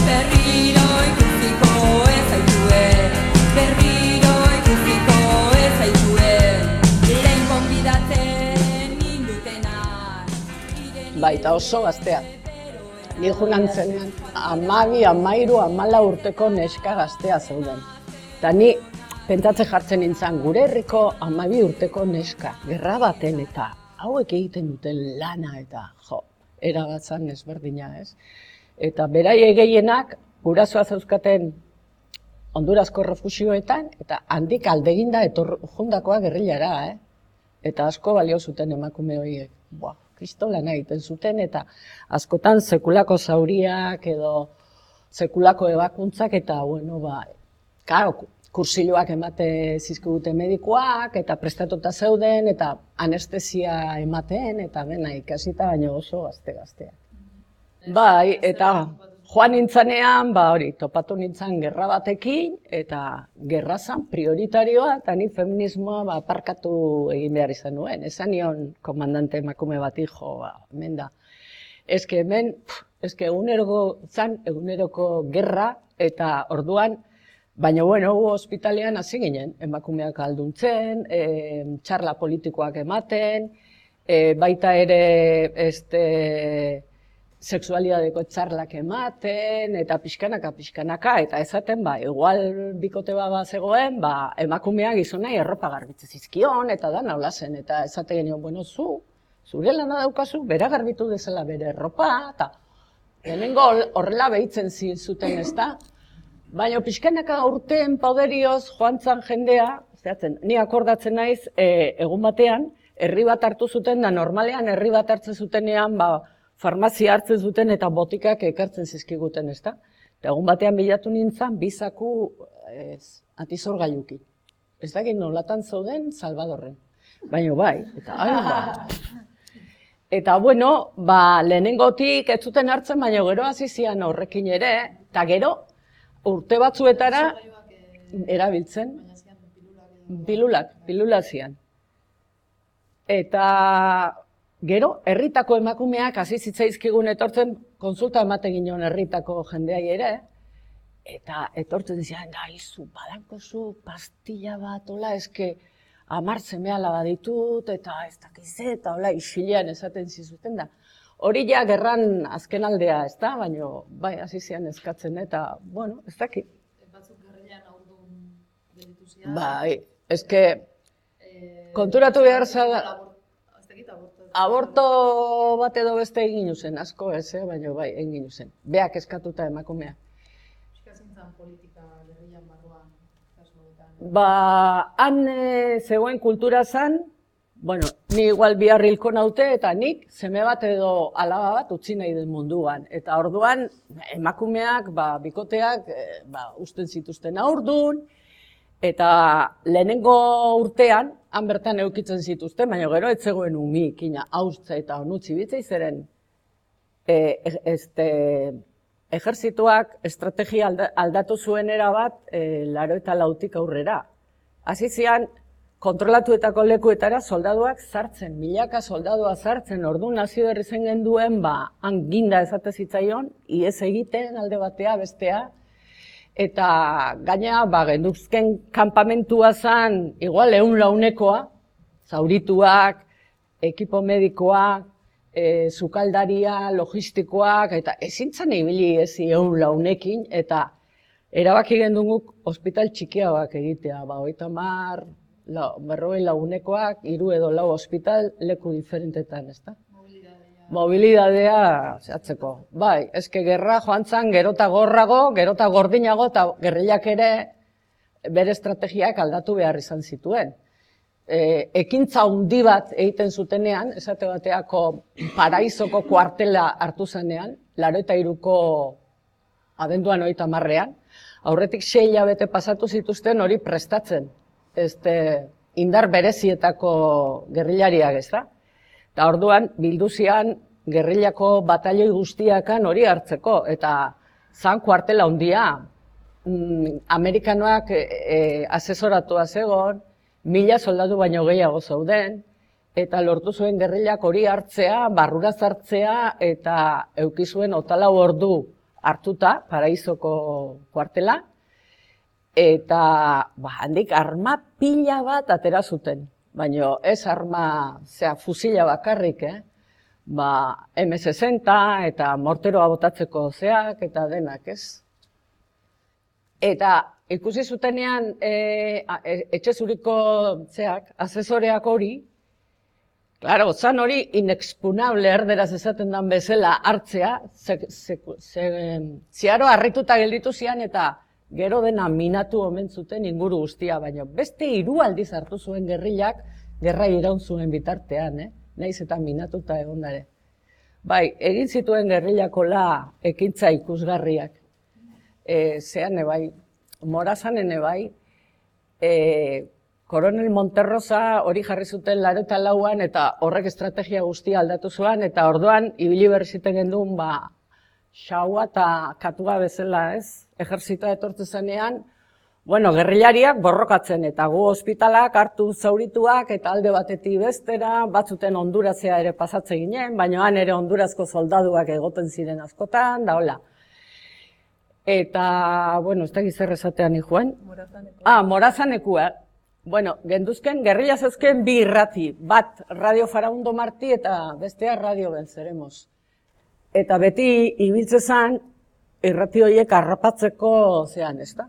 berriro ikusiko ez zaitue, berriro ikusiko ez zaitue, lehen konbidatzen nindutenak. Baita oso gaztea. Ni junan zenean, amabi, amairu, amala urteko neska gaztea zeuden. Eta ni pentsatze jartzen nintzen, gure herriko amabi urteko neska, gerra baten eta hauek egiten duten lana eta jo, eragatzan ezberdina, ez? Eta beraie gehienak gurasoa zeuzkaten Hondurazko refusioetan eta handik aldeginda etor jundakoa gerrillara, eh? Eta asko balio zuten emakume horiek. Buah, kristolana egiten zuten eta askotan sekulako zauriak edo sekulako ebakuntzak eta bueno, ba, karo, kursiloak emate zizkigute medikoak, eta prestatuta zeuden, eta anestesia ematen, eta dena ikasita, baina oso gazte-gazteak. Bai, eta joan nintzanean, ba hori, topatu nintzen gerra batekin, eta gerra zan prioritarioa, eta ni feminismoa ba, aparkatu egin behar izan nuen. Esan nion komandante emakume bati, jo, ba, hemen da. Eske hemen, eske eguneroko zan, eguneroko gerra, eta orduan, baina, bueno, ospitalean hasi ginen, emakumeak alduntzen, e, txarla politikoak ematen, e, baita ere este, sexualidadeko txarlak ematen, eta pixkanaka, pixkanaka, eta esaten, ba, igual bikote bat zegoen, ba, emakumeak gizonai erropa garbitze zizkion, eta da naula zen, eta esate genio, bueno, zu, zure lana daukazu, bera garbitu dezala bere erropa, eta lehenengo horrela behitzen zuten, ez da? Baina pixkanaka urteen pauderioz joan zan jendea, zehatzen, ni akordatzen naiz, e, egun batean, herri bat hartu zuten, da normalean herri bat hartzen zutenean, ba, farmazia hartzen zuten eta botikak ekartzen zizkiguten, ez da? Eta egun batean bilatu nintzen, bizaku ez, antizorgailuki. Ez dakit nolatan zauden Salvadorren. Baina bai, eta hain ba. Eta bueno, ba, lehenengotik ez zuten hartzen, baina gero hasi zian horrekin ere, eta gero, urte batzuetara erabiltzen, pilulak, pilulak zian. Eta gero, herritako emakumeak hasi zitzaizkigun etortzen, konsulta ematen ginen herritako jendeai ere, eta etortzen zian, da, izu, badankozu, pastilla bat, hola, eske, hamar seme alaba ditut, eta ez dakiz, eta hola, isilean esaten zizuten da. Hori ja gerran azken aldea, ez da, baina bai, hasi zian eskatzen, eta, bueno, ez dakit. Batzuk gerrilan aurdun gelditu zian. Bai, eske, konturatu behar zara, aborto bat edo beste egin zen, asko ez, eh? Baina bai, egin zen. Beak eskatuta emakumea. Euskazintzan politika gerrilan barruan, kasuetan. Ba, han zegoen kultura zan, bueno, ni igual bihar hilko naute eta nik seme bat edo alaba bat utzi nahi den munduan. Eta orduan emakumeak, ba, bikoteak, ba, usten zituzten aurdun, eta lehenengo urtean, han bertan eukitzen zituzten, baina gero ez zegoen umik, ina, hauztza eta onutzi bitzei zeren, e, este, ejerzituak estrategia aldatu zuen erabat, e, laro eta lautik aurrera. Hasi zian, kontrolatuetako lekuetara soldaduak sartzen, milaka soldadua sartzen, orduan nazio berri zen genduen, ba, han ginda esate zitzaion, iez egiten alde batea, bestea, eta gaina, ba, genduzken kanpamentua zan, igual eun launekoa, zaurituak, ekipo medikoak, e, sukaldaria, logistikoak, eta ezin zan ibili ezi eula unekin, eta erabaki gendunguk ospital txikiagoak egitea, ba, hogeita hamar, berrogei lagunekoak, hiru edo lau ospital leku diferentetan, ezta? Mobilidadea zehatzeko. Bai, eske gerra joan zan gerota gorrago, gerota gordinago, eta gerrilak ere bere estrategiak aldatu behar izan zituen. E, ekintza handi bat egiten zutenean, esate bateako Paraizoko kuartela hartu zenean, laurogeita hiruko abenduan hogeita hamarrean, aurretik sei hilabete pasatu zituzten hori prestatzen, este, indar berezietako gerrilariak, ezta? Eta orduan, bilduzian gerrilako batalioi guztiakan hori hartzeko, eta zan kuartela handia. Amerikanoak e, e, asesoratua zegoen, mila soldadu baino gehiago zauden, eta lortu zuen gerrilak hori hartzea, barrura zartzea, eta eukizuen otalau ordu hartuta, Paraizoko kuartela, eta ba, handik arma pila bat atera zuten. Baina ez arma, zera, fusila bakarrik, eh? Ba, eme sesenta eta morteroa botatzeko zeak eta denak, ez? Eta ikusi zutenean e, etxe zuriko zeak, asesoreak hori, claro, zan hori inexpunable erderaz esaten dan bezala hartzea, ze, ze, ze, ziaro harrituta gelditu zian eta gero dena minatu omen zuten inguru guztia, baina beste hiru aldiz hartu zuen gerrilak, gerra iraun zuen bitartean, eh? Naiz eta minatuta egondare. Bai, egin zituen gerrilakola ekintza ikusgarriak. E, zean ebai, Morazan ebai, e, Koronel Monterrosa hori jarri zuten laurogeita lauan eta horrek estrategia guztia aldatu zuen, eta orduan ibili berri ziten gendun, ba, xaua eta katua bezala, ez? Ejerzitoa etortzen zenean, bueno, gerrilariak borrokatzen, eta gu ospitalak hartu zaurituak, eta alde batetik bestera, batzuten Hondurazea ere pasatze ginen, baina han ere Hondurazko soldaduak egoten ziren askotan, da hola. Eta, bueno, ez da gizar esatean ikuen. Morazanekua. Ah, Morazanekua. Bueno, genduzken, gerrilla zeuzken bi irrati, bat Radio Faraondo Martí eta bestea Radio Venceremos. Eta beti ibiltzezan, irrati horiek harrapatzeko zean, ez da?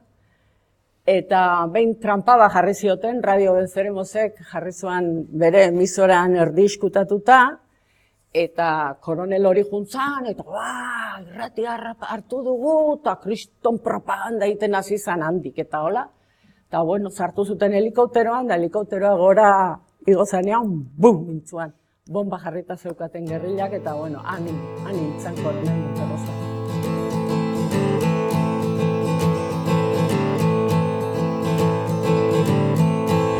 Eta behin trampaba jarri zioten, Radio Venceremosek jarri zuen bere emisoran erdi iskutatuta, eta koronel hori juntzan, eta ba, irrati hartu dugu, eta kriston propaganda egiten hasi zan handik, eta hola. Eta bueno, sartu zuten helikopteroan, da helikopteroa gora igozanean, bum, intzuan. Bomba jarrita zeukaten gerrilak, eta bueno, han nintzen koronel Monterrosa.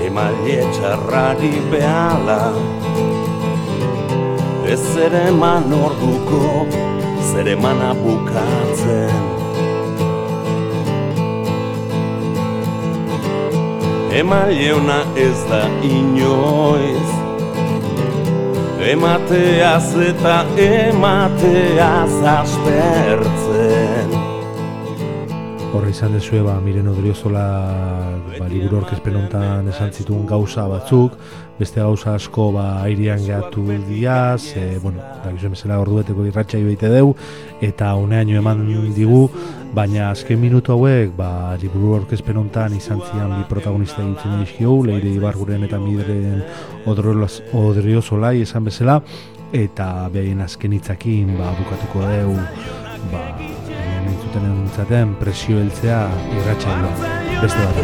Emaile txarrari behala, ez ere eman orduko, zer emana bukatzen. Emaile ona ez da inoiz, emateaz eta emateaz aspertzen. Horra izan dezue, ba, Miren Odriozola ba, liburu aurkezpen hontan esan zituen gauza batzuk, beste gauza asko ba, airean gehatu diaz, e, bueno, da gizuen bezala ordubeteko irratxa ibeite deu, eta uneaino eman digu, baina azken minutu hauek, ba, liburu aurkezpen hontan izan zian bi protagonista egitzen dizkio, Leire Ibarguren eta Miren Odriozola esan bezala, eta behaien azken hitzakin ba, bukatuko deu, ba, entzuten entzaten presio heltzea irratsaioa beste bat.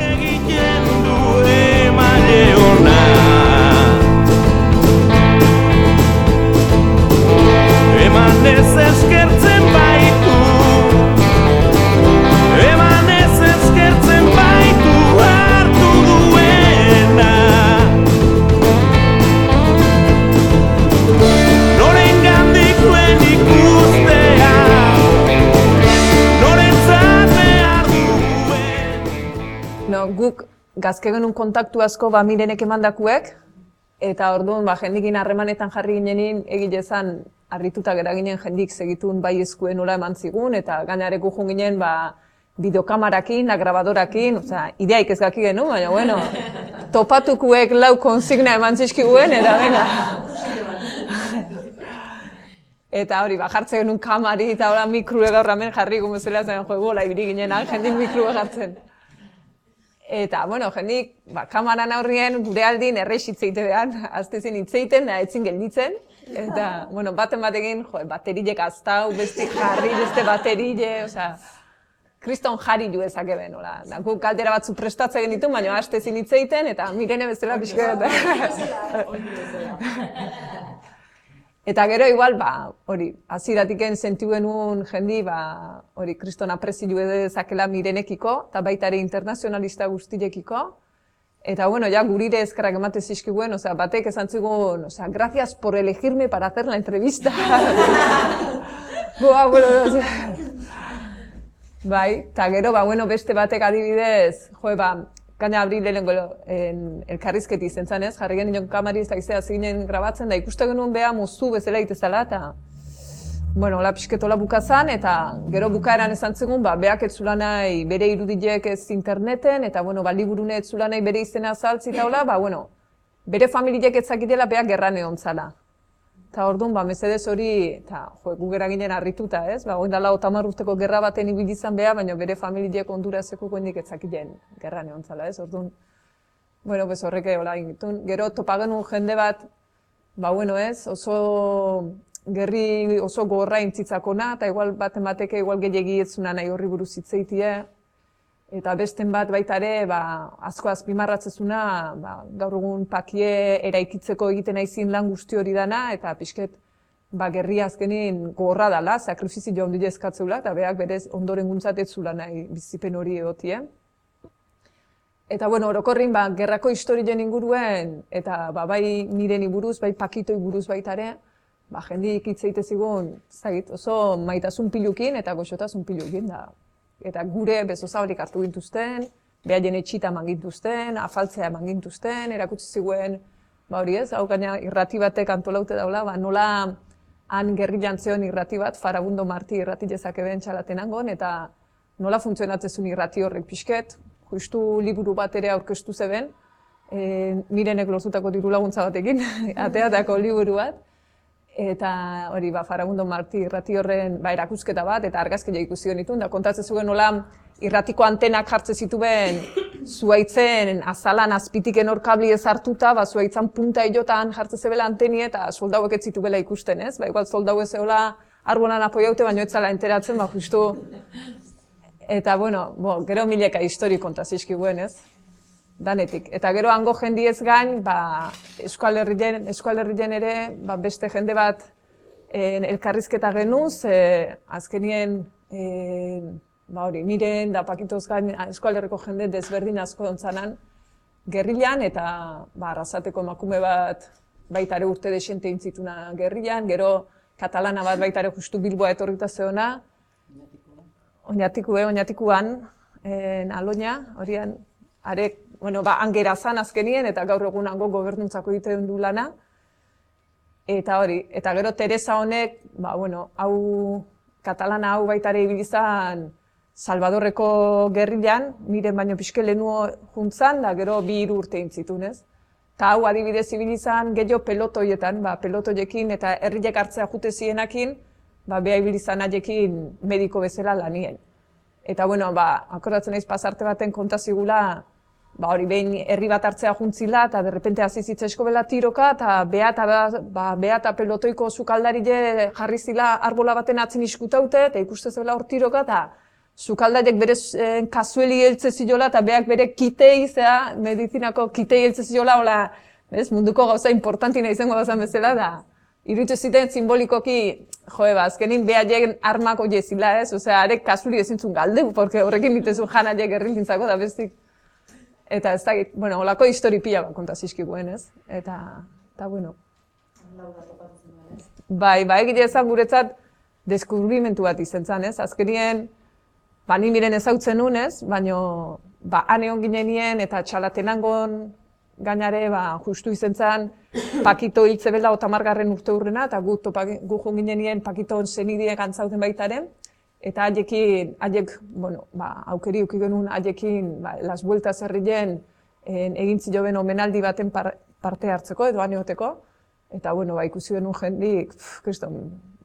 Eman ez eskertzen baitu, eman ez eskertzen baitu hartu duena. Noren gandik duen ikustea, no, guk gazke genuen kontaktu asko ba Mirenek emandakuek, eta orduan ba jendikin harremanetan jarri ginenin egilezan harrituta gera ginen jendik segitun bai eskuen nola eman zigun, eta gainareku jun ginen ba bideokamarakin, grabadorakin, osea, ideaik ez gaki genuen, baina bueno, topatukuek lau konsigna eman zizkiguen, eta venga. Eta hori, ba, jartzen genuen kamari eta hola mikrue gaur hemen jarri gumezela zen jo, bola ibili ginen, jendik mikrue jartzen. Eta, bueno, jendik, ba, kamaran aurrien gure aldin erreix hitzeite behan, azte zen hitzeiten, da etzin gelditzen. Eta, bueno, baten batekin, jo, baterilek aztau, beste jarri, beste baterile, osea, kriston jarri ju ezake ben, hola. Guk kaldera batzu prestatzen genitu, baina azte zin hitzeiten, eta Mirene bezala pixka. Eta gero igual, ba, hori, hasieratik sentiu genuen jendi, ba, hori, kriston aprezio dezakela Mirenekiko, eta baita ere internazionalista guztiekiko. Eta, bueno, ja, gurire eskerrak emate zizkiguen, osea, batek esan zigun, osea, gracias por elegirme para hacer la entrevista. Boa, bueno, osea. Bai, eta gero, ba, bueno, beste batek adibidez, jo, ba, gaina abri lehenengo elkarrizketi izen zanez, jarri genuen kamari ez da izea ziginen grabatzen, da ikuste genuen beha muzu bezala itezala, eta, bueno, hola pixketola bukazan, eta gero bukaeran esan zegoen, ba, beak ez zula nahi bere irudiek ez interneten, eta, bueno, ba, liburune ez zula nahi bere izena azaltzi eta hola, ba, bueno, bere familiek ez zakitela beak gerran egon zala. Eta orduan, ba, mesedez hori, eta, jo, gu gera ginen harrituta, ez? Ba, oin dala otamar urteko gerra baten ibili izan beha, baina bere familiek Hondurazeko goendik etzakien gerran egon zala, ez? Orduan, bueno, bez horreke, hola, ingitun. Gero topa genuen jende bat, ba, bueno, ez? Oso gerri oso gorra intzitzakona, eta igual baten bateke, igual gehiagi ez zuna nahi horri buruz hitzeitie. Eta besten bat baita ere, ba, asko azpimarratzezuna, ba, gaur egun pakie eraikitzeko egiten aizin lan guzti hori dana, eta pixket, ba, gerria azkenin gorra dala, sakrifizio handi eskatzeula, eta berak berez ondoren guntzatetzula nahi bizipen hori egotie. Eta, bueno, orokorrin, ba, gerrako historien inguruen, eta ba, bai Mireni buruz, bai Pakitoi buruz baita ere, ba, jendik hitzeite zigun, zait, oso maitasun pilukin eta goxotasun pilukin da. Eta gure bezozabalik hartu gintuzten, behaien etxita eman gintuzten, afaltzea eman gintuzten, erakutsi ziguen, ba hori ez, hau gaina irrati batek antolaute daula, ba nola han gerrilan zeon irrati bat, Farabundo Marti irrati jezake ben txalatenangon, eta nola funtzionatzezun irrati horrek pixket, justu liburu bat ere aurkeztu zeben, e, Mirenek lortutako diru laguntza batekin, ateatako liburu bat, eta hori, ba, Farabundo Marti irrati horren ba, erakusketa bat, eta argazkia ikusi genituen, da kontatzen zuen nola irratiko antenak jartzen zituen zuaitzen azalan azpitiken hor kabli ez hartuta, ba, zuaitzan punta hilotan jartzen zebela anteni eta soldauek ez zitubela ikusten, ez? Ba, igual soldau ez zeola arbolan apoiaute, baino ez zala enteratzen, ba, justu. Eta, bueno, bo, gero mileka histori kontazizkiguen, ez? Danetik. Eta gero hango jendiez gain, ba, Euskal Herrien, Euskal Herrien ere, ba, beste jende bat en, elkarrizketa genuz, e, azkenien, e, ba hori, Miren da Pakitoz gain Euskal Herriko jende desberdin asko ontzanan gerrilan, eta ba, arrasateko emakume bat baita ere urte desente intzituna gerrilan, gero katalana bat baita ere justu Bilboa etorrita zeona, Oñatikue, Oñatikuan, en Aloña, horian, arek, bueno, ba, angera zan azkenien, eta gaur egun hango gobernuntzako egiten du lana. Eta hori, eta gero Teresa honek, ba, bueno, hau, katalana hau baita ere ibilizan Salvadorreko gerrilan, Miren baino pixke lehenuo juntzan, da gero bi hiru urte intzitun, ez? Eta hau adibidez ibilizan gehiago pelotoietan, ba, pelotoiekin eta herriek hartzea jute zienakin, ba, beha ibilizan haiekin mediko bezala lanien. Eta, bueno, ba, akordatzen naiz pasarte baten kontazigula, ba, hori behin herri bat hartzea juntzila, eta derrepente hasi zitzaizko bela tiroka, eta beha eta, ba, beha eta pelotoiko sukaldarile jarri zila arbola baten atzen iskutaute, eta ikuste zela hor tiroka, eta sukaldariek bere eh, kasueli heltze ziola, eta beak bere kitei, zea, medizinako kitei heltze ziola, hola, bez, munduko gauza importantina izango gauza bezala, da, iruditu ziten simbolikoki, joe, ba, azkenin behaiek armako jezila, ez? Osea, arek kasuri ezintzun galdu, porque horrekin ditezun janaiek errilintzako da bestik. Eta ez dakit, bueno, holako histori pila bat kontazizkiguen, ez? Eta, eta, bueno. Bai, bai, egile ezan guretzat deskubrimentu bat izan zen, ez? Azkenien, ba, ni Miren ezautzen nun, ez? Baina, ba, han egon ginenien eta txalatenangon gainare, ba, justu izan zen, Pakito hiltze bela otamargarren urte hurrena, eta gu, gu joan ginenien Pakiton zenideek antzauten baitaren, eta haiekin, haiek, bueno, ba, aukeri uki genuen haiekin, ba, Las Vueltas herrien egin ziloben omenaldi baten par, parte hartzeko, edo han egoteko, eta, bueno, ba, ikusi genuen jendik, kriston,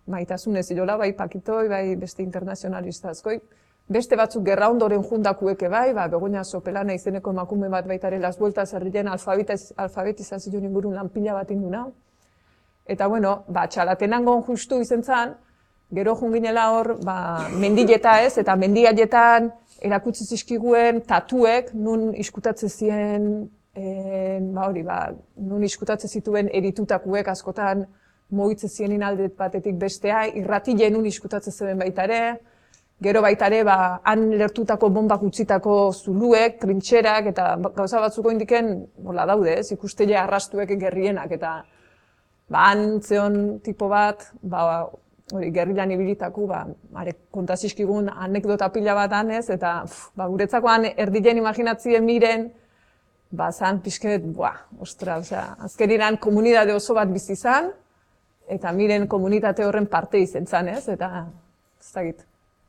Maitasunez ilola, bai Pakitoi, bai beste internazionalista askoi. Beste batzuk gerra ondoren jundakueke bai, ba, Begoña Sopelana izeneko emakume bat baitare Las Vueltas herrien alfabetizazio ingurun lan pila bat induna. Eta bueno, ba, txalatenangon justu izen zan, gero junginela hor, ba, mendileta ez, eta mendiaietan erakutsi zizkiguen tatuek, nun iskutatzen ziren, e, ba hori, ba, nun iskutatzen zituen eritutakuek askotan mugitzen zirenin aldet batetik bestea, irratile nun iskutatzen zeben baitare, gero baitare, ba, han lertutako bombak utzitako zuluek, trintxerak, eta gauza batzuko indiken, hola daude, ez, ikustele arrastuek gerrienak, eta ba, han zeon tipo bat, ba, hori, gerrilan ibilitaku, ba, are, kontazizkigun anekdota pila bat hanez, eta pf, ba, guretzakoan erdilen imaginatzien miren, ba, zan pixket, buah, ostra, osea, azkeriran komunidade oso bat bizi zan, eta miren komunitate horren parte izen zan, ez, eta, ez dakit,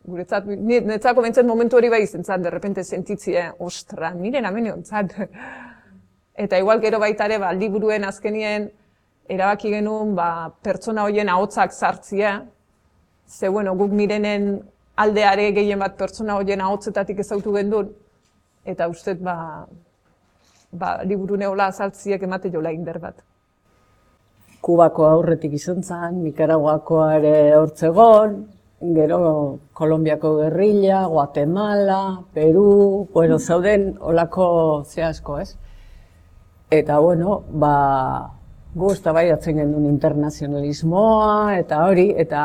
guretzat, netzako bentzen momentu hori bai izen zan, derrepente sentitzie, ostra, miren amen egon Eta igual gero baitare, ba, liburuen azkenien, erabaki genuen ba, pertsona horien ahotsak sartzia, ze bueno, guk mirenen aldeare gehien bat pertsona horien ahotsetatik ezautu gendun, eta ustez ba, ba, liburu neola azaltziek emate jola inder bat. Kubako aurretik izan zen, Nikaraguakoa ere hortzegon, gero Kolombiako gerrilla, Guatemala, Peru, bueno, zauden olako zehazko, ez? Eta bueno, ba, gu eztabaidatzen gendun internazionalismoa, eta hori, eta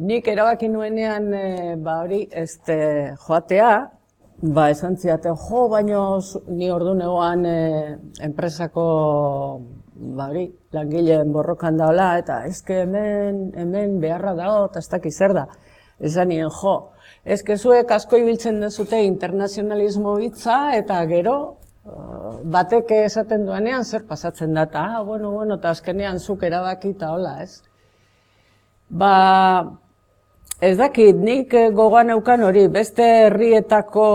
nik erabaki nuenean, e, ba hori, este, joatea, ba esan ziaten, jo, baino ni ordu negoan e, enpresako, ba hori, langileen borrokan daola, eta eske hemen, hemen beharra dago, eta ez dakiz zer da. Esan nien, jo, eske zuek asko ibiltzen dezute internazionalismo hitza, eta gero, batek esaten duanean zer pasatzen da, eta, ah, bueno, bueno, eta azkenean zuk erabaki eta hola, ez? Ba, ez dakit, nik gogoan eukan hori, beste herrietako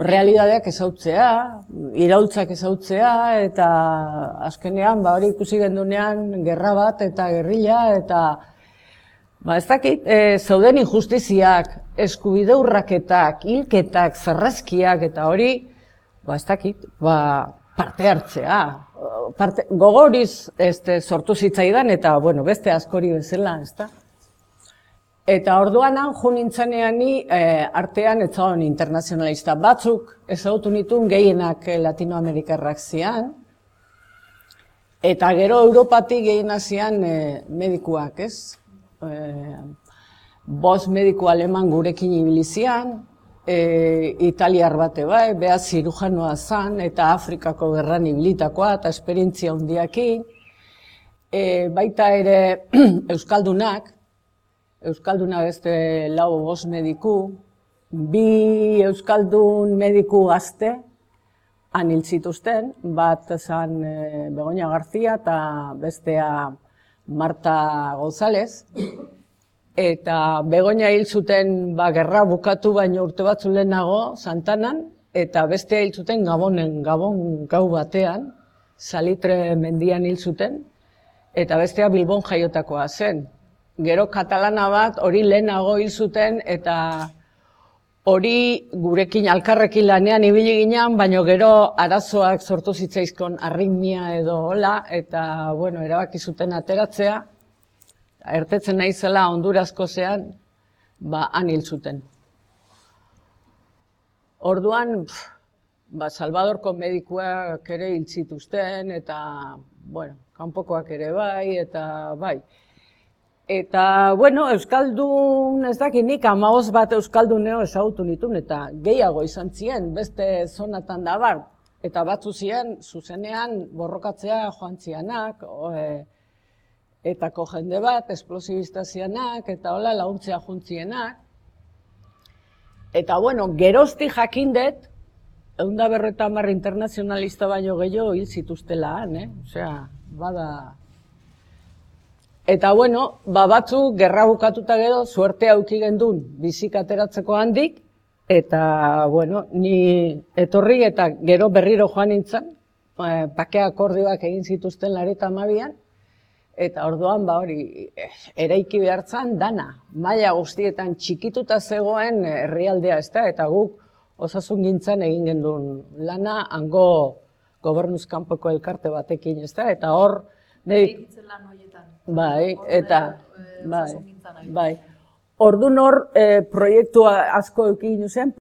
realidadeak ezautzea, iraultzak ezautzea, eta azkenean, ba, hori ikusi gendunean, gerra bat eta gerrilla, eta, ba, ez dakit, e, zauden injustiziak, eskubide urraketak, hilketak, zarrazkiak, eta hori, ba, ez dakit, ba, parte hartzea. Parte, gogoriz este, sortu zitzaidan eta, bueno, beste askori bezala, ez da? Eta orduan han jo nintzanean ni e, artean ez zaon internazionalista batzuk ezagutu nituen gehienak Latinoamerikarrak zian. Eta gero Europatik gehiena zian e, medikuak, ez? E, bost mediku aleman gurekin ibili zian, E, italiar bate bai, beha zirujanoa zan, eta Afrikako gerran ibilitakoa, eta esperientzia handiakin. E, baita ere Euskaldunak, Euskalduna beste lau bost mediku, bi Euskaldun mediku gazte, han hil zituzten, bat zan e, Begoña García eta bestea Marta González. Eta Begoña hil zuten ba, gerra bukatu baino urte batzu lehenago Santanan, eta bestea hil zuten Gabonen, Gabon gau batean, Salitre mendian hil zuten, eta bestea Bilbon jaiotakoa zen. Gero katalana bat hori lehenago hil zuten, eta hori gurekin alkarrekin lanean ibili ginean, baino gero arazoak sortu zitzaizkon arritmia edo hola, eta bueno, erabaki zuten ateratzea. Ertetzen naizela Hondurazko zean, ba, han hil zuten. Orduan, pff, ba, Salvadorko medikuak ere hil zituzten, eta, bueno, kanpokoak ere bai, eta bai. Eta, bueno, Euskaldun, ez dakit nik, hamabost bat Euskalduneo ezagutu nituen, eta gehiago izan ziren, beste zonatan da bar. Eta batzu ziren, zuzenean, borrokatzea joan zianak, e, etako jende bat, esplosibista zianak, eta hola laguntzea juntzienak. Eta, bueno, gerozti jakindet, ehun eta berrogeita hamar internazionalista baino gehiago hil zituztela han, eh? Osea, bada... Eta, bueno, ba batzu, gerra bukatuta gero, suerte auki gendun bizik ateratzeko handik, eta, bueno, ni etorri eta gero berriro joan nintzen, bakea akordioak egin zituzten lareta hamabian, Eta orduan, ba hori, eraiki behartzan dana, maila guztietan txikituta zegoen herrialdea, ezta, eta guk osasungintzan egin genduen lana, hango gobernuz kanpoko elkarte batekin, ezta, eta hor, Eraikitzen lan horietan. bai, eta, eh, bai, osasungintzan ari. bai. Orduan hor, eh, proiektua asko eukin zen,